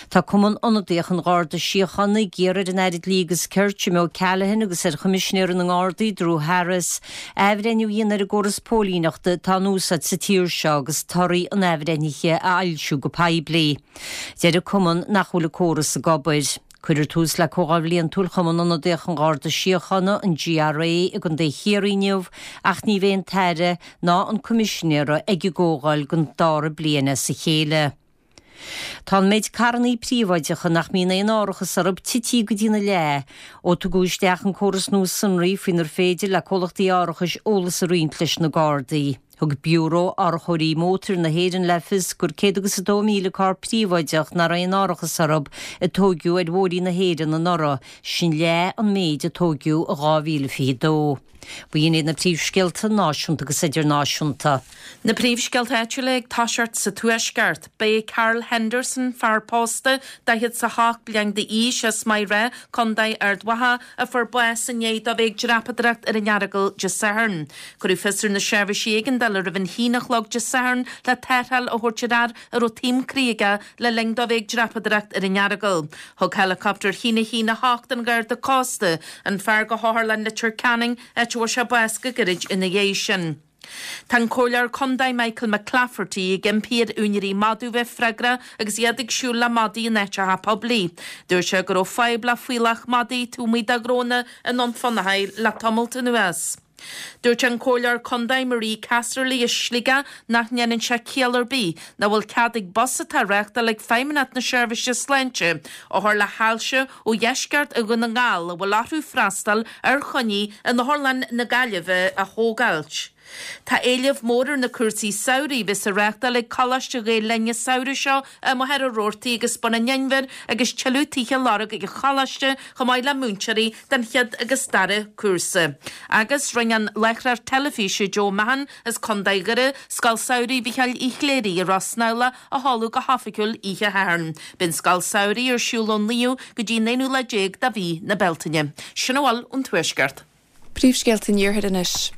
S2: Tá Cumann Ionadaíoch an Gharda Síochána ag iarraidh ar an Aire Dlí agus Cirt, Jim O'Callaghan agus ar Choimisinéir na nGardaí, Drew Harris, athbhreithniú a dhéanamh ar an gcóras póilíneachta atá in úsáid sa tír seo agus torthaí an athbhreithnithe a fhoilsiú go poiblí. Deir an Cumann nach bhfuil an córas ag obair. Cuirfear tús le Comhdháil Bhliantúil Chumann Ionadaíoch an Gharda Síochána, an GRA, i gContae Chiarraí inniu ach ní bheidh an tAire ná an Coimisinéir ag an gcomhdháil don dara bliain as a chéile. Tá an méid carrannaí príobháideacha nach mbíonn aon árachas orthu tití go dtína leath ó tugadh isteach an córas nua sonraí faoinar féidir le comhlachtaí árachais eolas a roinnt leis na Gardaí. Thug Biúró Árachóirí Mótair na hÉireann le fios gur céad agus a dó míle carr príobháideach nach raibh aon árachas orthu a tóigeadh ar bhóithrí na hÉireann anuraidh, sin leath an méid a tóigeadh i dhá mhíle fiche dó. B'in iad na príomhscéalta náisiúnta agus idirnáisiúnta.
S3: Na príomhscéalta áitiúla ag toiseacht sa Tuaisceart. Ba é Carl Henderson, fear pósta, daichead 's a hocht bliain d'aois, as Maigh Rath, Contae Ard Mhacha, a fuair bás i ndiaidh dó bheith ag dreapadóireacht ar an Earagail Dé Sathairn. Cuireadh fios ar na seirbhísí éigeandála roimh an haon a chlog Dé Sathairn le tarrtháil a thabhairt ar fhear a raibh taom croí aige le linn dó bheith ag dreapadóireacht ar an Earagail. Thug heileacaptar a haon a haon a hocht an Gharda Cósta an fear go hOtharlann Leitir Ceanainn, áit a bhfuair sé bás go gairid ina dhiaidh sin. Tá an Comhairleoir Contae Michael McClafferty ag impí ar úinéirí madadh bheith freagrach agus iad ag siúl le madaí in áiteacha poiblí. Dúirt sé go raibh fadhb le fuíollach madaí taobh amuigh de ghnónna i nDún Fionnachaidh le tamalt anuas. Dúirt an Comhairleoir Contae Marie Casserly as Sligeach nach ndéanann sé ciall ar bith nach bhfuil cead ag bus atá á reáchtáil ag Feidhmeannacht na Seirbhíse Sláinte othair le hailse ó dheisceart Dhún na nGall a bhfuil orthu freastal ar choinní in Otharlann na Gaillimhe a thógáilt. Tá éileamh mór ar na cúrsaí samhraidh a bheas á reáchtáil ag Coláiste Ghael Linn an samhradh seo i Machaire Rabhartaigh agus Bun an Inbhir agus tuilleadh tithe á lorg ag an Choláiste chomh maith le múinteoirí don chéad agus dara cúrsa. Agus rinne an láithreoir teilifíse Joe Mahon as Contae Dhoire Scoil Samhraidh Mhichíl Uí Chléirigh i Ros Snamhla a sheoladh go hoifigiúil oíche Shathairn. Beidh an Scoil Samhraidh ar siúl ón naoú go dtí an aonú lá déag de mhí na Bealtaine. Sin a bhfuil ón Tuaisceart.
S4: Príomhscéalta an Iarthair anois.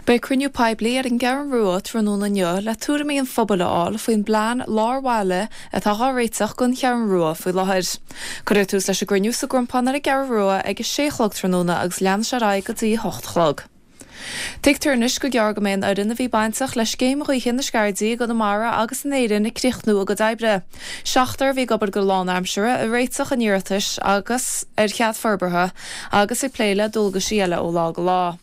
S4: Beidh cruinniú poiblí ar an gCeathrú Rua tráthnóna inniu le tuairimí an phobail a fháil faoin bplean lár bhaile atá á réiteach don Cheathrú Rua faoi láthair. Cuirfear tús leis an gcruinniú sa gCrompán ar an gCeathrú Rua ag a sé a chlog tráthnóna agus leanfaidh sé ar aghaidh go dtí a hocht a chlog. Tuigtear anois gur gearr go mbeidh an fhoireann a bhí bainteach le scéim ghaoithe na Scairdí i gConamara agus in Éirinn ag críochnú a gcuid oibre. Seachtar a bhí ag obair go lánaimseartha ag réiteach an iarratais agus ar chead forbartha agus ag plé le dualgaisí eile ó lá go lá.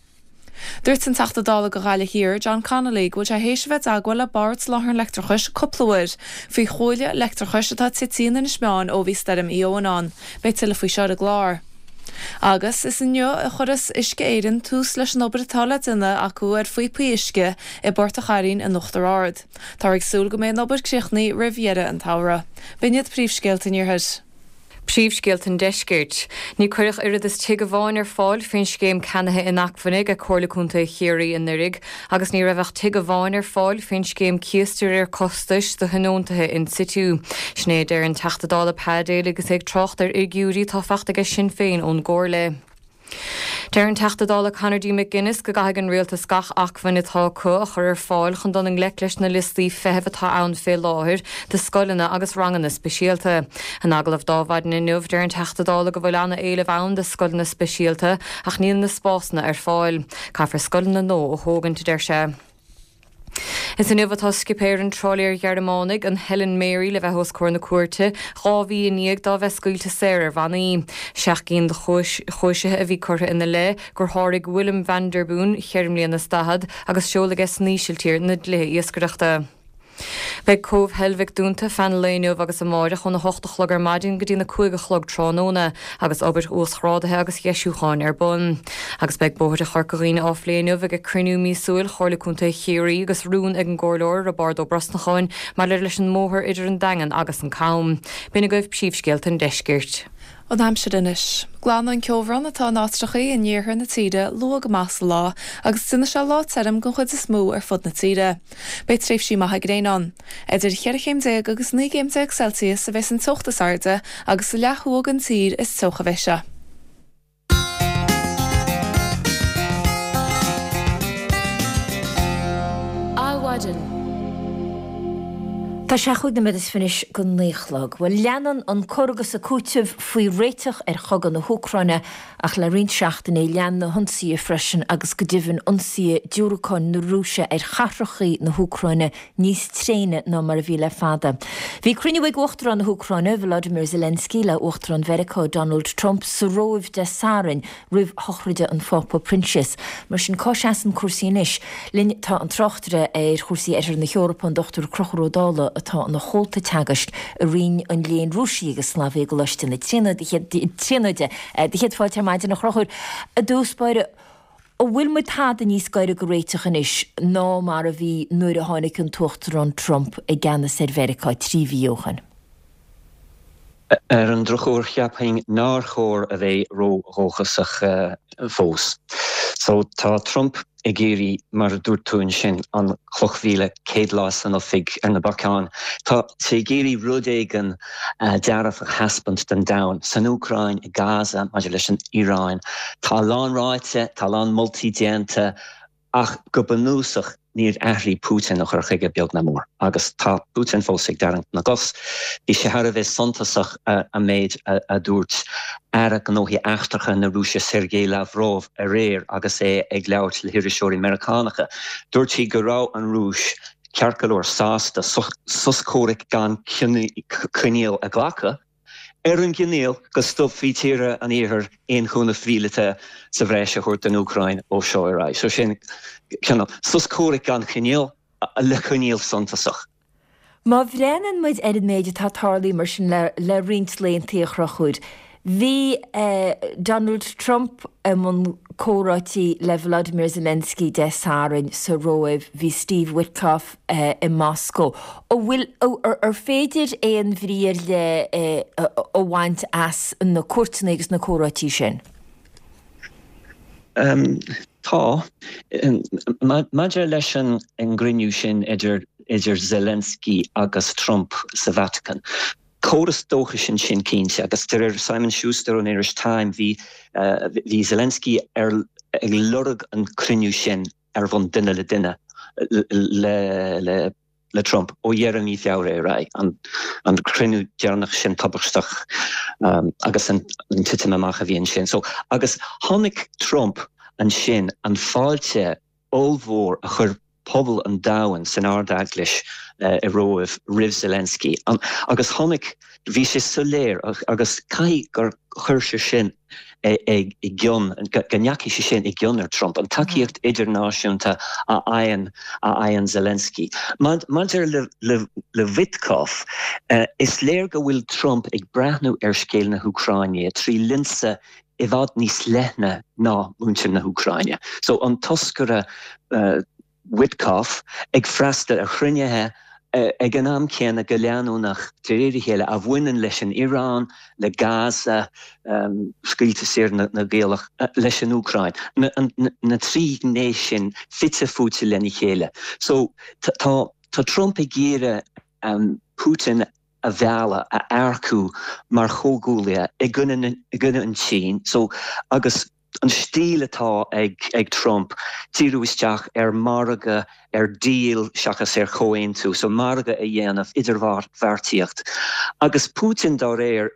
S4: Dúirt an Teachta Dála do Ghaillimh Thiar, John Connolly, go bhfuil sé théis a bheith i dteagmháil le Bord Soláthair an Leictreachais cúpla uair faoi chuaille leictreachais atá tite in Inis Meáin ó bhí Stoirm Éowyn ann. Beidh tuilleadh faoi seo ar an gclár. Agus is inniu a chuirfeas Uisce Éireann tús leis an obair atá le déanamh acu ar phíopaí uisce i bPort a' Chairrín in Uachtar Ard. Táthar ag súil go mbeidh an obair críochnaithe roimh dheireadh an tsamhraidh. B'in iad príomhscéalta an Iarthair.
S5: Príomhscéalta an Deiscirt. Ní cuireadh oiread is tigh amháin ar fáil faoin scéim ceannaithe inacmhainne ag Comhairle Contae Chiarraí anuraidh agus ní raibh ach tigh amháin ar fáil faoin scéim cíos de réir costais do thionóntaithe in situ. Sin é a deir an Teachta Dála Pa Daly agus é ag trácht ar fhigiúirí atá faighte aige Sinn Féin ón gComhairle. Deir an Teachta Dála Conor D. McGuinness go gcaithfidh an Rialtas gach acmhainn atá acu a chur ar fáil chun dul i ngleic leis na liostaí feithimh atá ann fé láthair do scoileanna agus ranganna speisialta. In agallamh do Adhmhaidin inniu, deir an Teachta Dála go bhfuil ana-éileamh ann do scoileanna speisialta ach níl na spásanna ar fáil. Caithfear scoileanna nua a thógaint, a deir sé. Is inniu atá scipéir an trálaeir Ghearmánaigh an Helen Mary le bheith os comhair na cúirte dhá mhí i ndiaidh dá bheith scaoilte saor ar bhannaí. Seacht gcinn de chúiseanna a bhí curtha ina leith gur sháraigh Willem van der Boon ceithre bliana is daichead agus seol aige san Ísiltír na dlíthe iascaireachta. Beidh Cóbh Heilbhic dúnta feadh an lae inniu agus amáireach óna hocht a chlog ar maidin go dtí na cúig a chlog tráthnóna agus obair uasghrádaithe agus dheisiúcháin ar bun. Agus beidh bóithre Chorca Dhuibhne á phlé inniu ag cruinniú míosúil Chomhairle Contae Chiarraí agus rún ag an gComhairleoir Roibeárd Ó Brosnacháin maidir leis an mbóthar idir an Daingean agus an Cam. B'in agaibh príomhscéalta an deiscirt.
S4: An aimsir anois. Glanfaidh an ceobhrán atá in áitreachaí in iarthar na tíre luath go maith sa lá agus déanfaidh sé lá tirim den chuid is mó ar fud na tíre. Beidh tréimhsí maithe gréine ann. Idir cheithre chéim déag agus naoi gcéim déag Celsius a bheas an teocht is airde agus sa leath thuaidh den tír is teocha a bheidh sé.
S1: Adhmhaidin. Tá sé chúig nóiméad is fiche anois go naoi a chlog. Bhuel, leanann an cur agus an cúiteamh faoi réiteach ar chogadh na hÚcráine ach le roinnt seachtainí lean na hionsaithe freisin agus go deimhin ionsaithe diúracáin na Rúise ar chathrachaí na hÚcráine níos tréine ná mar a bhí le fada. Bhí cruinniú ag Uachtarán na hÚcráine, Volodymyr Zelensky, le Uachtarán Mheiriceá Donald Trump sa Róimh Dé Sathairn roimh shochraide an Phápa Proinsias. Mar sin cá seasann cúrsaí anois? Linn tá an tráchtaire ar chúrsaí Oirthear na hEorpa, an Dochtúir Conchúr Ó Dálaigh, atá ina chomhalta teagaisc i Roinn an Léinn Rúisigh agus Slavaigh i gColáiste na Tríonóide. Do chéad fáilte ar maidin, a Chonchúir. I dtús báire, an bhfuil muid tada níos gaire go réiteach anois ná mar a bhí nuair a tháinig an tUachtarán Trump i gceannas ar Mheiriceá trí mhí ó shin?
S9: Ar an drochuair, cheapfainn nár chóir a bheith ródhóchasach fós. So tá Trump ag iarraidh, mar a dúirt tú ansin, an chloch mhíle céad lá san oifig ar na bacáin. Tá sé ag iarraidh rud éigin dearfach a thaispeáint don domhan, san Úcráin, i Gaza, maidir leis an Iaráin. Tá a lán ráite, tá a lán moltaí déanta, ach go bunúsach níor athraigh Putin a chur chuige beag ná mór. Agus tá Putin fós ag tarraingt na gcos. Bhí sé thar a bheith suntasach an méid a dúirt Aire Gnóthaí Eachtracha na Rúise Sergei Lavrov aréir agus é ag labhairt le hiriseoirí Meiriceánacha. Dúirt sé go raibh an Rúis ceart go leor sásta sos comhraic gan coinníoll a ghlacadh, ar an gcoinníoll go stopfaí tíortha an Iarthair aon chúnamh míleata sa bhreis a thabhairt don Úcráin ó seo ar aghaidh. So sin cineál sos comhraic gan choinníoll le coinníoll suntasach.
S1: Má bhreathnaíonn muid ar an méid atá tarlaithe mar sin le le roinnt laethanta, a Chonchúir, bhí Donald Trump i mbun comhráití le Volodymyr Zelensky Dé Sathairn sa Róimh, bhí Steve Witkoff i Moscó. An bhfuil, ar féidir aon bhrí ar leith a bhaint as na cuairteanna agus na comhráití sin?
S9: Tá. Maidir leis an gcruinniú sin idir idir Zelensky agus Trump sa Vatican, Córas dóchais ansin cinnte, agus de réir Simon Schuster ón iris Time, bhí bhí Zelensky ar ag lorg an cruinniú sin ar bhonn duine le duine le le le Trump ó dheireadh mí Feabhra ar aghaidh, an an cruinniú deireanach sin tubaisteach agus an an titim amach a bhí ansin. So, agus chonaic Trump ansin an fáilte ollmhór a chuir pobal an domhain san Ard-Eaglais i Róimh roimh Zelensky agus chonaic, bhí sé soiléir agus caithfidh gur chuir sé sin i gcion, go ndeachaigh sé sin i gcion ar Trump, an tacaíocht idirnáisiúnta a fhaigheann a fhaigheann Zelensky. Maidir le le Witkoff, is léir go bhfuil Trump ag breathnú ar scéal na hÚcráine trí lionsa i bhfad níos leithne ná muintir na hÚcráine. So an toscaire Witkoff ag freastal ar chruinnithe ag an am céanna go leanúnach de réir a chéile a bhaineann leis an Iaráin, le Gaza, scaoileadh saor na gcaorach, leis an Úcráin. Na trí ghné sin fite fuaite lena chéile. So tá Trump ag iarraidh Putin a mhealladh, a earcú mar chomhghuaillí i gcoinne an tSín. So agus an stíl atá ag ag Trump, díriú isteach ar margadh, ar deal seachas ar chomhaontú, so margadh a dhéanamh, idirbheartaíocht. Agus Putin dá réir,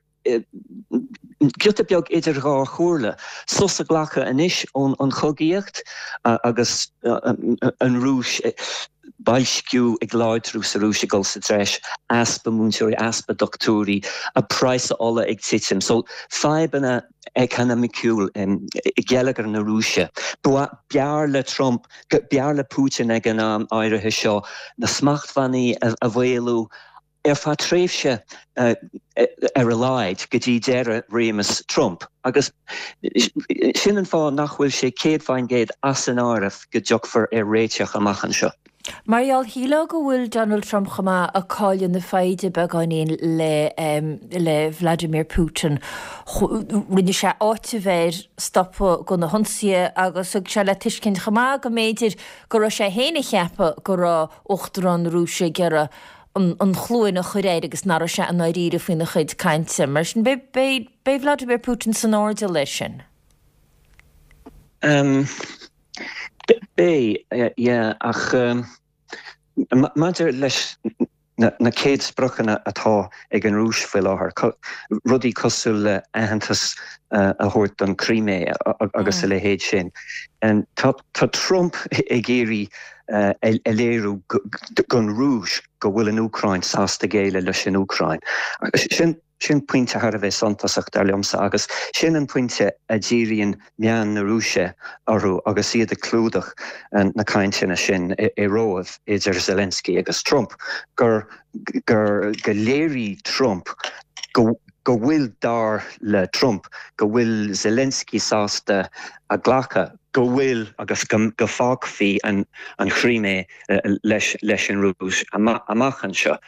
S9: giota beag idir dhá chomhairle, sos a ghlacadh anois ón chogaíocht agus an Rúis, Boilsciú ag láidriú sa Rúis ag dul sa treis, easpa múinteoirí, easpa dochtúirí, a praghas ola ag titim. So fadhbanna economiciúil i geilleagar na Rúise. B'fhearr le Trump, b'fhearr le Putin ag an am áirithe seo na smachtbhannaí a mhaolú ar feadh tréimhse ar a laghad go dtí deireadh réimeas Trump. Agus sin an fáth nach bhfuil sé céad faoin gcéad as an áireamh go dtiocfar ar réiteach amach anseo.
S1: Mar gheall, shílfeá go bhfuil Donald Trump chomh maith ag cailleadh na foighde beagáinín le le Vladimir Putin. Rinne sé áiteamh air stopadh go na hionsaithe agus thug sé le tuiscint chomh maith go mb'fhéidir go raibh sé féin ag ceapadh go raibh Uachtarán na Rúise ag iarraidh an chluain a chur air agus nach raibh sé i ndáiríre faoina chuid cainte. Mar sin, beidh Vladimir Putin san airdeall air sin.
S9: Beidh, yeah, ach maidir leis na chéad spriocanna atá ag an Rúis faoi láthair, rudaí cosúil le aitheantas a thabhairt don Chrimé agus a leithéid sin, tá Trump ag iarraidh a léiriú don Rúis go bhfuil an Úcráin sásta géilleadh leis an Úcráin. Sin sin pointe thar a bheith suntasach dar liomsa agus sin an pointe a dhíríonn meáin na Rúise orthu agus iad ag clúdach na cainteanna sin i Róimh idir Zelensky agus Trump, gur gur go léirigh Trump go go bhfuil dar le Trump go bhfuil Zelensky sásta a ghlacadh go bhfuil agus go go bhfágfaí an an Chrimé leis leis an Rúis amach anseo.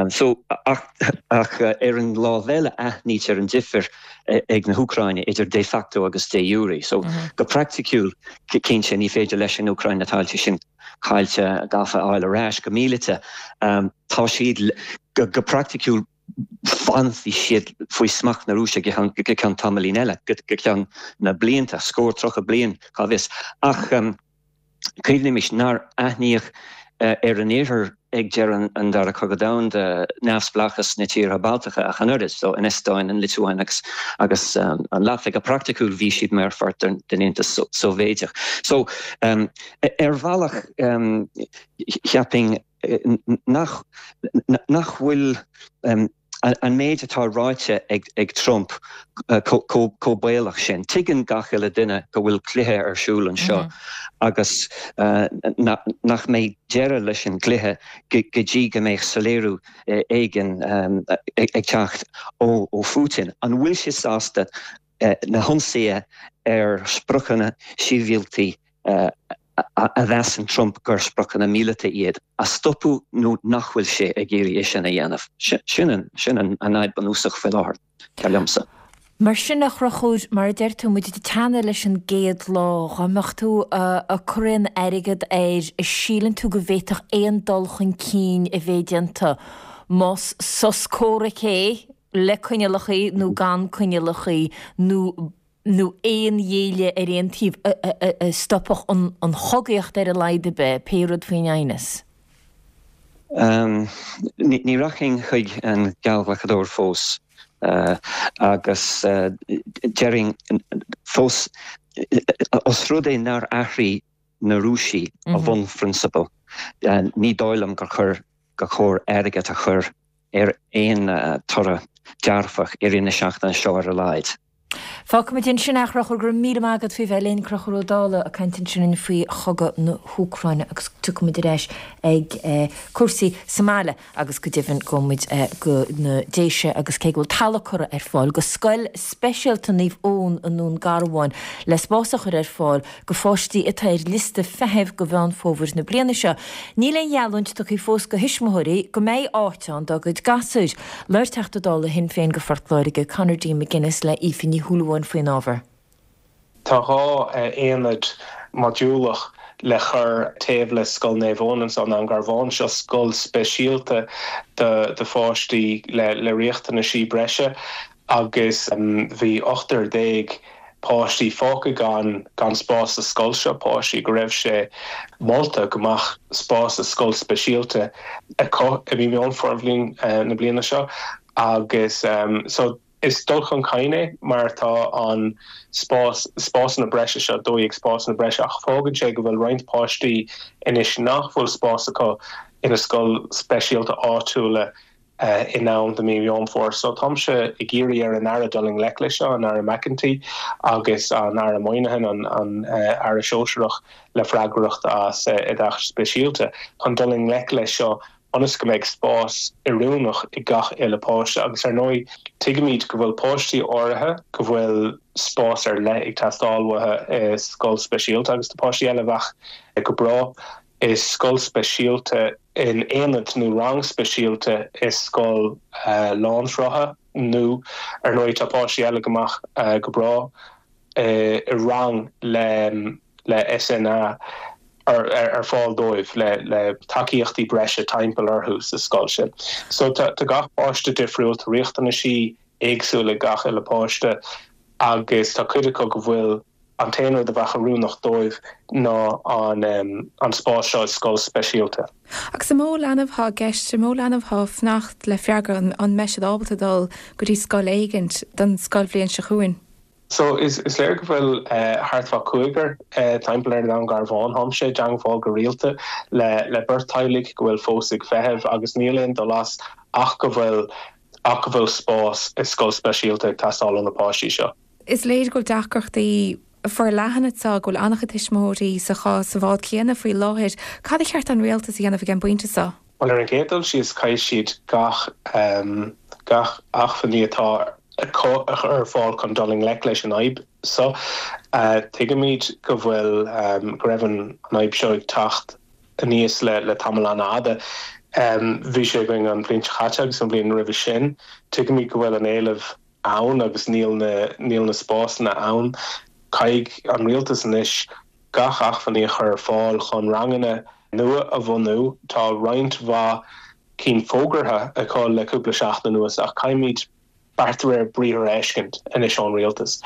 S9: So ach ach ar an lámh eile aithnítear an difear ag na hÚcráine idir de facto agus de jure. So go praiticiúil cinnte ní féidir leis an Úcráin na tailte sin caillte gafa a fháil ar ais go míleata. Tá siad go go praiticiúil fanfaidh siad faoi smacht na Rúise go ceann tamaillín eile, go ceann na blianta, scór tríocha bliain, cá bhfios. Ach cuimhnímis nár aithníodh ar an Iarthar ag deireadh an Dara Cogadh Domhanda neamhspleáchas na tíortha Baltacha ach an oiread, so an Eastóin, an Liotuáin agus agus an Laitvia. Go praiticiúil bhí siad mar pháirt den Aontas Sóivéadach. So ar bhealach cheapfainn nach nach bhfuil an méid atá ráite ag ag Trump chomh baolach sin. Tuigeann gach uile duine go bhfuil cluiche ar siúl anseo agus nach mbeidh deireadh leis an gcluiche go dtí go mbeidh soiléiriú éigin ag teacht ó ó Phutin. An bhfuil sé sásta na hionsaithe ar spriocanna sibhialta a mheasann Trump gur spriocanna míleata iad, a stopadh nó nach bhfuil sé ag iarraidh é sin a dhéanamh. Sin an sin an fhadhb bunúsach faoi láthair, dar liomsa.
S1: Mar sin, a Chonchúir, mar a deir tú, muid ag teannadh leis an gcéad lá, dhá mbeadh tú ag cur aon airgead air, an síleann tú go bhféadfadh aon dul chun cinn a bheith déanta, más sos comhraic é, le coinníollacha nó gan coinníollacha, nó nó aon ghéilleadh ar aon taobh a stopfadh an chogaíocht ar a laghad ar bith, pé rud faoin aighneas?
S9: Ní rachainn chuig an geallghlacadóir fós agus déarfainn fós, os rud é nár athraigh na Rúisigh a bhunphrionsabal, ní dóigh liom gur chur gur chóir airgead a chur ar aon toradh dearfach i rith na seachtaine seo ar a laghad.
S1: Fágfaimid ansin é, a Chonchúir, go raibh míle maith agat faoi bheith linn, Conchúr Ó Dálaigh ag caint ansin faoi chogadh na hÚcráine agus tiocfaimid ar ais ag cúrsaí sa mbaile agus go deimhin gabhfaimid go na Déise agus cé go bhfuil talamh curtha ar fáil go Scoil Speisialta Naomh Eoin i nDún Garbhán le spás a chur ar fáil go pháistí atá ar liosta feithimh go Mheán Fómhair na bliana seo. Níl aon gheallúint tugtha fós go thuismitheoirí go mbeidh áit ann dá gcuid gasúir. Labhair Teachta Dála Shinn Féin go Phort Láirge, Conor D. McGuinness le Aoife Ní Shúilleabháin faoin ábhar.
S10: Tá dhá aonad modúlach le cur taobh le Scoil Naomh Eoin anseo i nDún Garbhán. Seo scoil speisialta do do pháistí le le riachtanaisí breise agus bhí ochtar déag páistí fágtha gan gan spás sa scoil seo, páistí go raibh sé molta go mbeadh spás sa scoil speisialta acu i mí Meán Fómhair na bliana seo agus so Is dul chun cinn é mar tá an spás spásanna breise seo dó dhéag spásanna breise ach fágann sé go bhfuil roinnt páistí anois nach bhfuil spás acu ina scoil speisialta áitiúla in am do mí Mheán Fómhair. So táimse ag iarraidh ar an Aire dul i ngleic leis seo, an Aire McEntee agus an Aire Moynihan, an an Aire Sóisearach le freagracht as oideachas speisialta, chun dul i ngleic leis seo ionas go mbeidh spás oiriúnach ag gach uile páiste agus ar ndóigh tuigimid go bhfuil páistí áirithe go bhfuil spás ar leith ag teastáil uathu i scoil speisialta agus tá páistí eile a bheadh go breá i scoil speisialta in aonad nó rang speisialta i scoil lánshrutha nó ar ndóigh tá páistí eile go mbeadh go breá i rang le le SNA ar ar fáil dóibh le le tacaíochtaí breise timpeall orthu sa scoil sin. So tá tá gach páiste difriúil, tá riachtanaisí éagsúla ag gach uile páiste agus tá cuid acu go bhfuil an t-aon rud a bheadh oiriúnach dóibh ná an an spás seo i scoil speisialta.
S4: Agus an mó leanbh atá i gceist, an mó leanbh atá ag fanacht le freagra an mbeidh siad ábalta dul go dtí scoil éigint don scoilbhliain seo chugainn?
S10: So is is léir go bhfuil thart fá cúigear timpeall ar an Garbhán. Táimse i dteangmháil go rialta le le beirt teaghlaigh go bhfuil fós ag feitheamh agus níl aon dul as ach go bhfuil ach go bhfuil spás i scoil speisialta ag teastáil ó na páistí seo.
S4: Is léir go bhfuil deacrachtaí forleathana anseo, go bhfuil an-chuid tuismitheoirí sa chás sa bhád céanna faoi láthair. Cad a cheart an rialtas a dhéanamh ag an bpointe seo?
S10: Bhuel ar an gcéad dul síos caithfidh siad gach gach acmhainní atá acu a chur ar fáil chun dul i ngleic leis an fhadhb seo. Tuigimid go bhfuil go raibh an fhadhb seo ag teacht aníos le le tamall an-fhada. Bhí sé againn an bhliain seo caite agus an bhliain roimhe sin. Tuigimid go bhfuil an éileamh ann agus níl na níl na spásanna ann. Caithfidh an rialtas anois gach acmhainní a chur ar fáil chun ranganna nua a bhunú. Tá roinnt mhaith cinn fógartha acu le cúpla seachtain anuas ach caithfimid beart de réir briathar a fheiscint anois ón rialtas.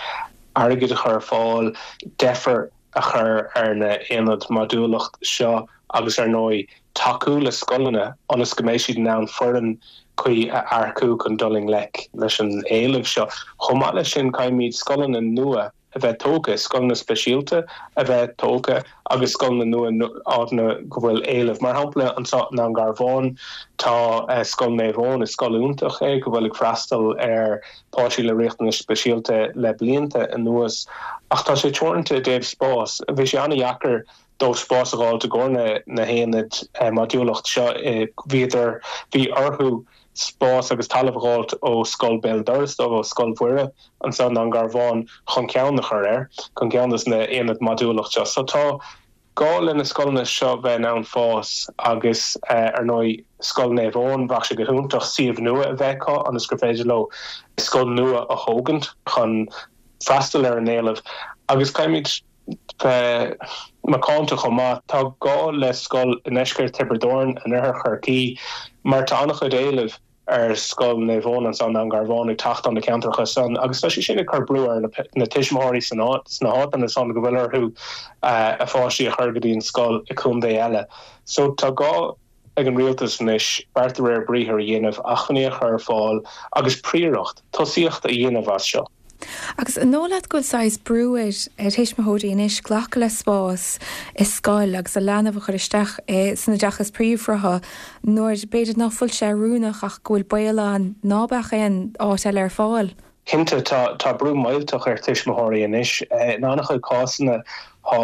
S10: Airgead a chur ar fáil, deifir a chur ar na haonaid modúlacht seo agus ar ndóigh tacú le scoileanna ionas go mbeidh siad in ann foireann cuí a earcú chun dul i ngleic leis an éileamh seo. Chomh maith leis sin caithfimid scoileanna nua a bheith tógtha, scoileanna speisialta a bheith tógtha agus scoileanna nua áiteanna go bhfuil éileamh. Mar shampla anseo i nDún Garbhán tá Scoil Naomh Eoin, is scoil iontach é go bhfuil ag freastal ar páistí le riachtanais speisialta le blianta anuas ach tá sé teoranta i dtaobh spás. Bhí sé an-dheacair dóibh spás a fháil i gcomhair na haonaid modúlacht seo. Bhíodar, bhí orthu spás agus talamh a dh'fháilt ó Scoil Béal Dorais dóibh, ó Scoil Mhuire anso i nDún Garbhán chun ceann a chur air, chun ceann dos na haonaid modúlacht seo. So tá gá le na scoileanna seo bheith in ann fás agus ar ndóigh Scoil Naomh Eoin, bheadh sé go hiontach suíomh nua a bheith acu ionas gur féidir leo scoil nua a thógaint chun freastal ar an éileamh agus caithfimid bheith macánta chomh maith. Tá gá le scoil i ndeisceart Thiobraid Árann, in oirthear Chorcaí, mar tá an-chuid éilimh ar Scoil Naomh Eoin anso i nDún Garbhán ag teacht ó na ceantracha san agus tá sé sin ag cur brú ar na tuismitheoirí sna háiteanna san go bhfuil orthu a pháistí a chur go dtí an scoil i contae eile. So tá gá ag an rialtas anois beart de réir briathair a dhéanamh, acmhainní a chur ar fáil agus príoracht, tosaíocht a dhéanamh as seo.
S4: Agus an dóigh leat go bhfuil saghas brú ar ar thuismitheoirí anois glacadh le spás i scoil agus a leanbh a chur isteach san oideachas príomhshrutha nuair b'fhéidir nach bhfuil sé oiriúnach ach go bhfuil baol ann ná beadh aon áit eile ar fáil?
S10: Cinnte, tá tá brú millteach ar tuismitheoirí anois. In an-chuid cásanna tá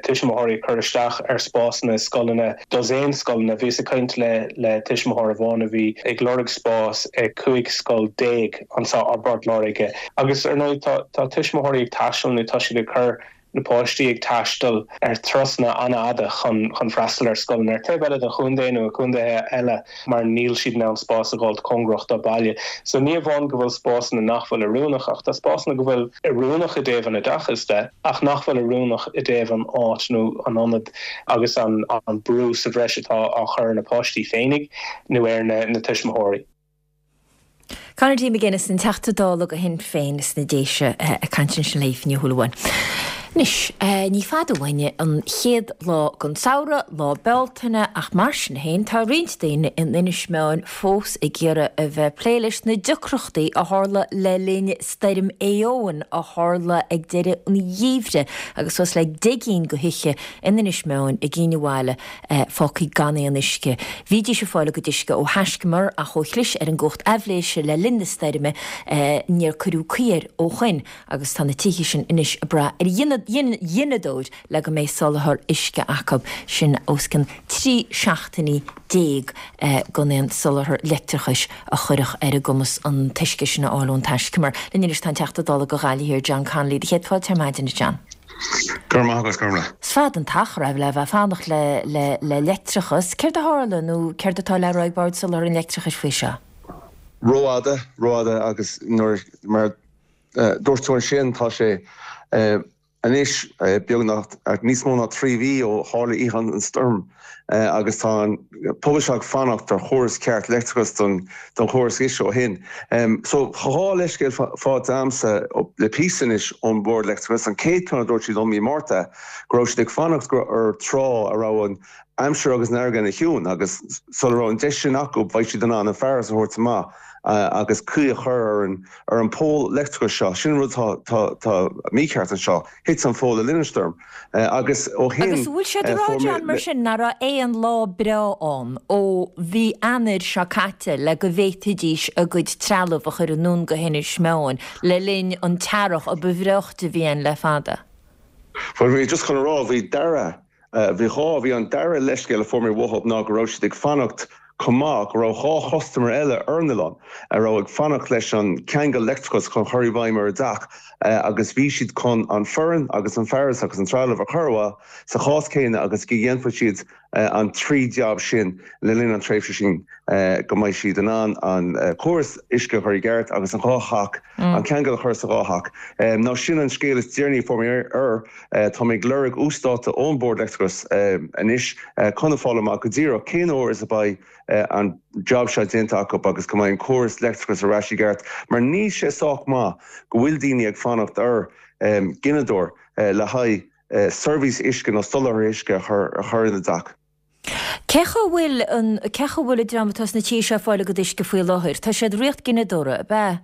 S10: tuismitheoirí ag cur isteach ar spásanna i scoileanna, dosaen scoileanna. Bhíos ag caint le le tuismitheoir amháin a bhí ag lorg spás i cúig scoil déag anseo i bPort Láirge. Agus ar ndóigh tá tá tuismitheoirí ag taisteal nó tá siad ag cur na páistí ag taisteal ar turasanna an-fhada chun chun freastal ar scoileanna ar taobh eile den chontae nó i gcontaetha eile mar níl siad in ann spás a dh'fháilt cóngarach dá baile. So ní amháin go bhfuil spásanna nach bhfuil oiriúnach ach tá spásanna go bhfuil oiriúnach i dtaobh an oideachais de ach nach bhfuil oiriúnach i dtaobh an áit nó an ionad agus an an brú sa bhreis atá á chur ar na páistí féinig nó ar na na tuismitheoirí.
S1: Conor D. McGuinness, an Teachta Dála do Shinn Féin sna Déise ag caint ansin le hAoife Ní Shúilleabháin. Anois, ní fada uainne an chéad lá den samhradh, Lá Bealtaine, ach mar sin féin, tá roinnt daoine in Inis Meáin fós ag iarraidh a bheith ag plé leis na deacrachtaí a tharla le linn Stoirm Éowyn a tharla ag deireadh an gheimhridh agus suas le deich gcinn de thithe in Inis Meáin i gCinn Bhaile fágtha gan aon uisce. Bhídís ag fáil a gcuid uisce ó thaiscumar ach ó chlis ar an gcumhacht aibhléise le linn na stoirme níor cuireadh caoi air ó shoin agus tá na tithe sin anois ag brath ar ghineadóir le go mbeidh soláthar uisce acu, sin os cionn trí seachtainí déag gan aon soláthar leictreachais a chuirfeadh ar a gcumas an t-uisce sin a fháil ón taiscumar. Linn anois tá an Teachta Dála do Ghaillimh Thiar, John Connolly. Do chéad fáilte ar maidin, a John.
S11: Go raibh maith agat, Gormlaith.
S1: Is fada an t-achar é le bheith ag fanacht le le le leictreachas. Céard a tharla nó céard atá le rá ag Bord Soláthair an Leictreachais faoi seo?
S11: Rófhada, rófhada agus nuair mar dúirt tú ansin tá sé anois beagnach níos mó ná trí mhí ó tharla oíche an stoirm agus tá an pobal seo ag fanacht ar chóras ceart leictreachais don don chóras uisce ó shin. So dhá leithscéal faighte agamsa le píosa anois ón Bhord Leictreachais. An chéad ceann a dúirt siad liom mí Márta go raibh siad ag fanacht ar tráth a raibh an aimsir agus an fharraige ina chiúin agus sula raibh an deis sin acu bheadh siad in ann an fearas a thabhairt amach agus caoi a chur ar an ar an pól leictreachais seo. Sin an rud atá tá mícheart anseo. Thit an pól le linn an stoirm agus ó shin
S1: Agus an bhfuil sé ag rá John mar sin nach raibh aon lá breá ann ó mhí Eanáir seo caite le go bhféadfaidís a gcuid trealamh a chur anonn go hInis Meáin le linn an t-earrach a ba bhreoichte a bhí ann le fada?
S11: Bhuel bhí just chun a rá bhí dara bhí dhá bhí an dara leithscéal a fuair mé uathu ná go raibh siad ag fanacht chomh maith go raibh dhá chustaiméir eile ar an oileán a raibh ag fanacht leis an ceangal leictreachais chun chur i bhfeidhm ar a dteach agus bhí siad chun an foireann agus an fearas agus an trealamh a chur uathu sa chás céanna agus go dhéanfadh siad an trí jab sin le linn an tréimhse sin go mbeidh siad in ann an córas uisce a chur i gceart agus an dhá theach an ceangal a chur sa dhá theach. Now sin an scéal is deireanaí a fuair mé air. Tá mé ag lorg uasdáta ón Bord Leictreachais anois chun a fáil amach go díreach cén uair is a beidh an job seo déanta acu agus go mbeidh an córas leictreachais ar ais i gceart mar níl sé sách maith go bhfuil daoine ag fanacht ar ghineadóir le haghaidh seirbhís uisce nó soláthar uisce a chur ina dteach.
S1: Cé chaoi bhfuil an, cé chaoi bhfuil an dream atá sna tithe seo ag fáil a gcuid uisce faoi láthair? Tá siad ag rith gineadóra, ab ea?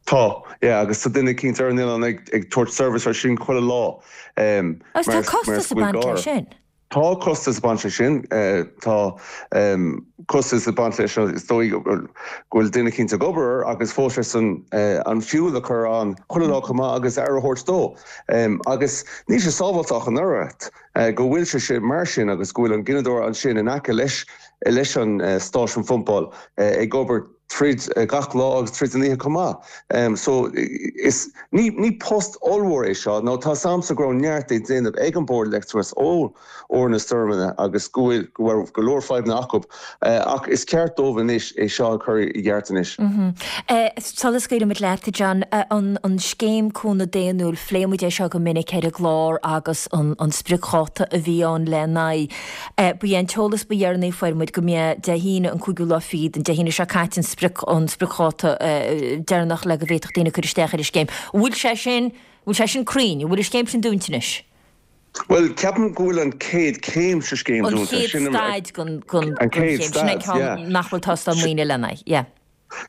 S11: Tá, yeah, agus tá duine eicínt ar an oileán ag ag tabhairt service ar sin chuile lá
S1: Agus tá
S11: mar mar
S1: costas ag
S11: go bhfuil
S1: baint
S11: gá.
S1: leis sin.
S11: Tá costas ag baint leis sin, tá costas ag baint leis is dóigh go bhfuil duine eicínt ag obair air agus fós leis an an fuel a chur ann chuile lá chomh maith agus aire a thabhairt dó. Agus níl sé sábháilte ach an oiread go bhfuil sé sin mar sin agus go bhfuil an gineadóir ansin in aice leis leis an stáisiún phumpáil ag obair tríd gach lá agus tríd an oíche chomh maith. So is ní ní post ollmhór é seo nó tá 's a'msa go raibh neart é déanamh ag an Bord Leictreachais ó uair na stoirmeanna agus go bhfuil go raibh go leor fadhbanna acu ach is ceart dóibh anois é seo a chur i gceart anois.
S1: Sula scaoilimid leat, a John, an an scéim cúnamh daonnúil, phléigh muid é seo go minic ar an gclár agus an an spriocdháta a bhí ann le n-aghaidh. Ba é an t-eolas ba dheireanaí a fuair muid go mb'é Dé hAoine an cúigiú lá fichead, an Dé hAoine seo caite an sprioc an spriocdháta deireanach le go bhféadfadh daoine cur isteach ar an scéim. An bhfuil sé sin, an bhfuil sé sin cruinn? An bhfuil an scéim sin dúnta anois?
S11: Bhuel, ceapaim go bhfuil an chéad chéim sa scéim
S1: An
S11: dúnta.
S1: chéad
S11: Sin
S1: staid den den
S11: an
S1: den
S11: chéad
S1: scéim. Sin é
S11: staid,
S1: ceann
S11: yeah.
S1: nach bhfuil tástáil maoine lena aghaidh, yeah.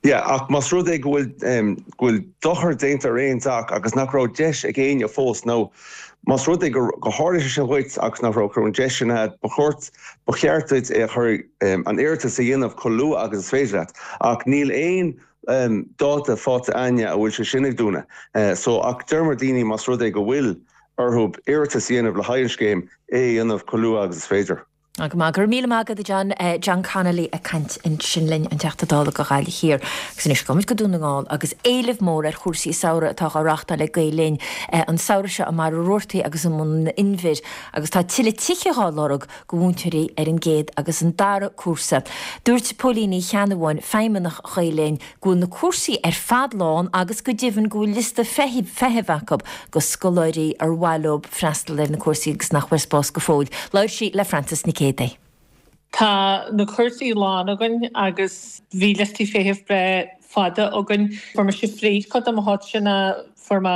S11: Yeah, ach más rud é go bhfuil go bhfuil dochar déanta ar aon teach agus nach raibh deis ag éinne fós nó más rud é gur gur tharla sé sin dhuit agus nach raibh an deis sin agat, ba chóir ba cheart duit é a chur an iarratas a dhéanamh chomh luath agus is féidir leat. Ach níl aon dáta faighte againne a bhfuil sé sin ag dúnadh. So ach deir muid daoine más rud é go bhfuil orthu iarratas a dhéanamh le haghaidh an scéim, é a dhéanamh chomh luath agus is féidir.
S1: Go maith. Go raibh míle maith agat, a John. John Connolly ag caint ansin linn, an Teachta Dála do Ghaillimh Thiar. Agus anois gabhfaimid go Dún na nGall agus éileamh mór ar chúrsaí samhraidh atá á reáchtáil ag Gael Linn an samhradh seo i mBarra Rabhartaigh agus i mBun an Inbhir agus tá tuilleadh tithe dhá lorg do mhúinteoirí ar an gcéad agus an dara cúrsa. Dúirt Póilín Ní Cheannabháin, Feidhmeannach Ghael Linn, go bhfuil na cúrsaí ar fad lán agus go deimhin go bhfuil liosta feithimh acu go scoláirí ar mhaith leo freastal ar na cúrsaí agus nach bhfuair spás go fóill. Labhair sí le Frances Nic Géadaigh.
S12: Tá na cúrsaí lán againn agus bhí liostaí feithimh breá fada againn. Fuair mise fríd cuid de mo chuid sin fuair mé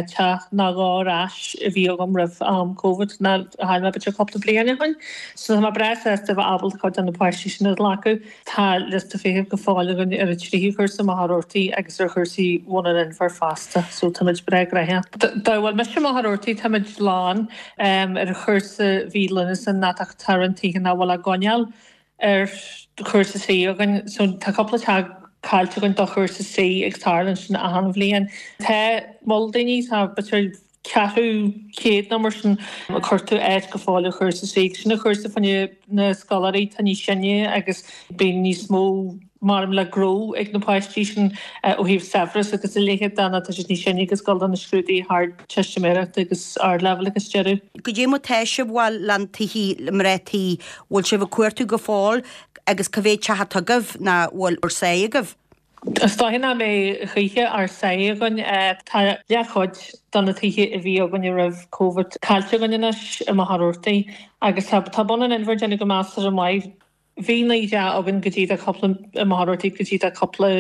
S12: teach nó dhó ar ais a bhí agam roimh am Covid ná a chaill mé b'fhéidir cúpla bliain ó shin. So tá mé breá sásta a bheith ábalta cuid de na páistí sin a ghlacadh. Tá liosta feithimh go fóill againn ar an tríú cúrsa i Machaire Rabhartaigh agus ar chúrsaí Bhun an Inbhir fosta. So táimid breá gnóthach. Dá bhfuil mise i Machaire Rabhartaigh táimid lán ar chúrsa mhí Lúnasa ná tá roinnt tithe nach bhfuil á gcoinneáil ar chúrsa C againn. So tá cúpla teach caillte againn do chúrsa C agus tarlaíonn sin achan bhliain. Tá moll daoine, tá b'fhéidir ceathrú céad nó mar sin ag cuartú áit go fóill ar chúrsa C. Sin an chúrsa fá choinne na scoláirí atá níos sine agus bíonn níos mó mar le gnó ag na páistí sin ó thaobh saibhreas agus a leithéid de nó tá siad níos sine agus dul do na scrúduithe Ardteistiméireachta agus Ardleibhéil agus deireadh.
S13: Goidé mar tá sibh bhuel le tithe le mná tí, bhfuil sibh ag cuartú go fóill agus cá mhéad teach atá agaibh ná bhfuil ár sáith agaibh?
S12: Is dóiche nach mbeidh choíche ár sáith againn. Tá leathchuid de na tithe a bhí againne roimh Covid caillte againn anois i Machaire Rabhartaigh agus tá Bun an Inbhir ag déanamh go measartha maith. Bhí naoi dteach againn go dtí do cúpla i Machaire Rabhartaigh go dtí do cúpla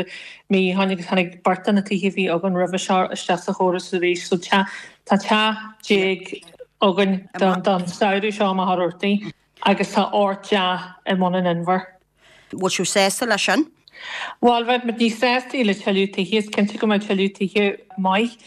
S12: mí ó shin agus tháinig beirt de na tithe a bhí againn roimhe seo isteach sa chóras arís so tá teach déag againn don samhradh seo i Machaire Rabhartaigh agus tá ocht dteach i mBun an Inbhir.
S13: Bhfuil sibh sásta leis sin?
S12: Bhuel, bheadh muid níos sásta le tuilleadh tithe, is cinnte go mbeadh tuilleadh tithe maith.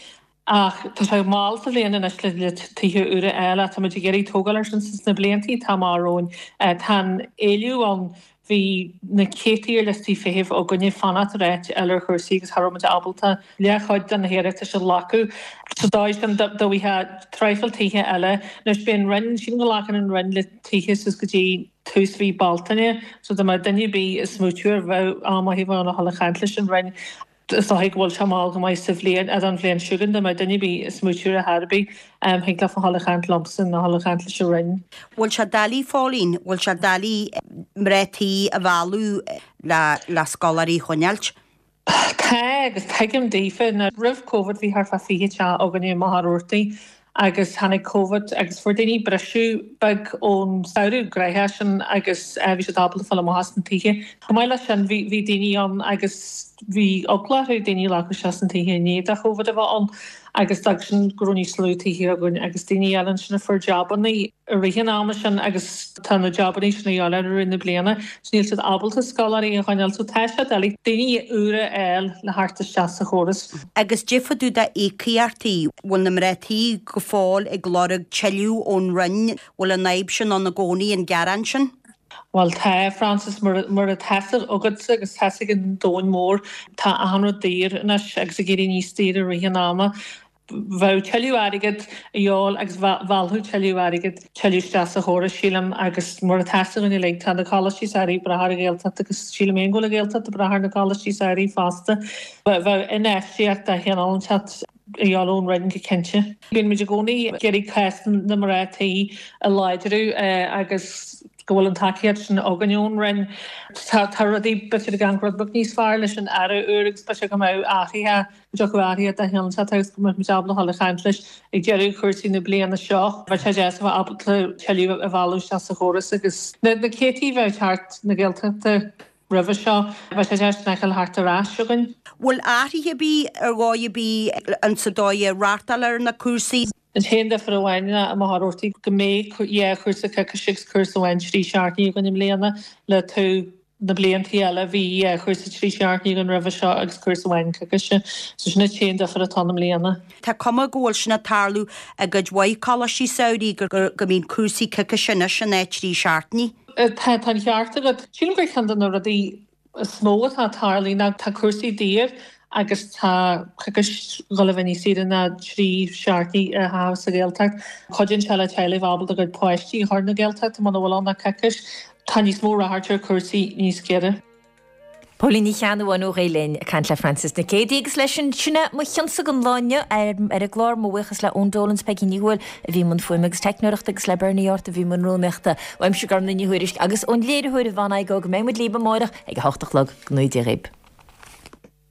S12: Ach tá sé mall sa bhliain anois le tithe úra a fháil ach tá muid ag iarraidh tógáil air sin sna blianta atá amach romhainn. Tá an éileamh ann. Bhí na céadtaí ar liostaí feithimh againne fanacht ar áit eile ar chúrsaí agus cha raibh muid ábalta leathchuid de na hiarratais a ghlacadh. Sa dóigh sin dá bhfaighfeá traidhfil tithe eile. Anois beidh an Roinn, sílim go nglacann an Roinn le tithe suas go dtí tús mhí Bealtaine so dá mbeadh duine ar bith ag smaoitiú ar bheadh am maith a bheith ann a dhul ag caint leis an Roinn. Is dóigh go bhfuil sé mall go maith sa bhliain, don bhliain seo chugainn, dá mbeadh duine ar bith ag smaoitiú ar chor ar bith, thig leofa a dhul ag caint liomsa nó a dhul ag caint leis an Roinn.
S13: Bhfuil sé doiligh, Phóilín, bhfuil sé doiligh mná tí a mhealladh le le scoláirí a choinneáilt?
S12: Tá, agus tuigim daofa. Now roimh Covid bhí thart fá fiche teach againne i Machaire Rabhartaigh agus tháinig Covid agus fuair daoine briseadh beag ón samhradh gnoitheach sin agus bhí siad ábalta fáil amach as na tithe. Chomh maith leis sin bhí bhí daoine ann agus bhí eagla orthu daoine a ghlacadh isteach sna tithe i ndiaidh do Covid a bheith ann agus d'fhág sin go raibh níos lú tithe againn agus daoine eile ansin a fuair jabanna i rith an ama sin agus tá na jabanna sin a dhíobháil orthu i rith na bliana so níl siad ábalta scoláirí a choinneáil so tá sé doiligh daoine úra a fháil le theacht isteach sa chóras.
S13: Agus goidé fá dtaobh d'íocaíochtaí, bhfuil na mná tí go fóill ag lorg tuilleadh ón Roinn, bhfuil an fhadhb sin ann i gcónaí, an gearán sin?
S12: Bhuel tá, Frances, mar mar atá fhios agatsa agus tá fhios ag an domhan mór, tá achan rud daor anois agus ag éirí níos daoire i rith an ama. Bheadh tuilleadh airgid a dhíobháil agus mheallfadh tuilleadh airgid tuilleadh isteach sa chóras, sílim, agus mar atá fhios againn uilig, tá na coláistí samhraidh ag brath ar an Ghaeltacht agus sílim féin go bhfuil an Ghaeltacht ag brath ar na coláistí samhraidh fosta. Bheadh infheistíocht de chineál inteacht a dhíobháil ón Roinn go cinnte. Bíonn muid i gcónaí ag iarraidh cás na mná tí a láidriú agus go bhfuil an tacaíocht sin againn ón Roinn. Tá rudaí b'fhéidir ag amharc rud beag níos fearr leis an Aire úr agus b'fhéidir go mbeadh athruithe go dtiocfadh athruithe de chineál inteacht agus go mbeadh muid ábalta a dhul ag caint leis ag deireadh chúrsaí na bliana seo. Bheadh sé deas a bheith ábalta tuilleadh a mhealladh isteach sa chóras agus na céadtaí a bheith ag teacht na Gaeltachta roimhe seo, bheadh sé deas sin a fheiceáil thart ar ais againn.
S13: Bhfuil athruithe ar bith ar dhóigh ar bith insa dóigh a reáchtáiltear ar na cúrsaí?
S12: An t-aon difear amháin ná i Machaire Rabhartaigh go mbeidh dhá chúrsa coicíse agus cúrsa amháin trí seachtainí againn i mbliana le taobh na bliantaí eile bhí dhá chúrsa trí seachtainí againn roimhe seo agus cúrsa amháin coicíse. So sin an t-aon difear atá ann i mbliana.
S13: Tá cuma go bhfuil sin ag tarlú i gcuid mhaith coláistí samhraidh go go mbíonn cúrsaí coicíse anois in áit trí seachtainí.
S12: Tá tá an ceart agat. Sílim gur ceann de na rudaí is mó atá ag tarlú ná tá cúrsaí daor agus tá coicís ag dul a bheith níos saoire ná trí seachtainí a chaitheamh sa Ghaeltacht. Cuidíonn sé le teaghlaigh bheith ábalta a gcuid páistí a chur na Gaeltachta muna bhfuil ann ach coicís. Tá níos mó ráchairt ar chúrsaí níos giorra.
S1: Póilín Ní Cheannabháin ó Ghael Linn ag caint le Frances Nic Géadaigh agus leis sin sin é mo chionsa don lá inniu ar an gclár. Mo bhuíochas le Eoin Dolan 's Peggy Ní Thuathail a bhí i mbun fuaime agus teicneoireachta agus le Bernie Art a bhí i mbun rúnaíochta. Uaimse Gormlaith Ní Thuairisg agus ón léiritheoir Yvonne Igoe go mbeidh muid libh amárach ag a hocht a chlog. Go ngnóthaí Dia dhaoibh.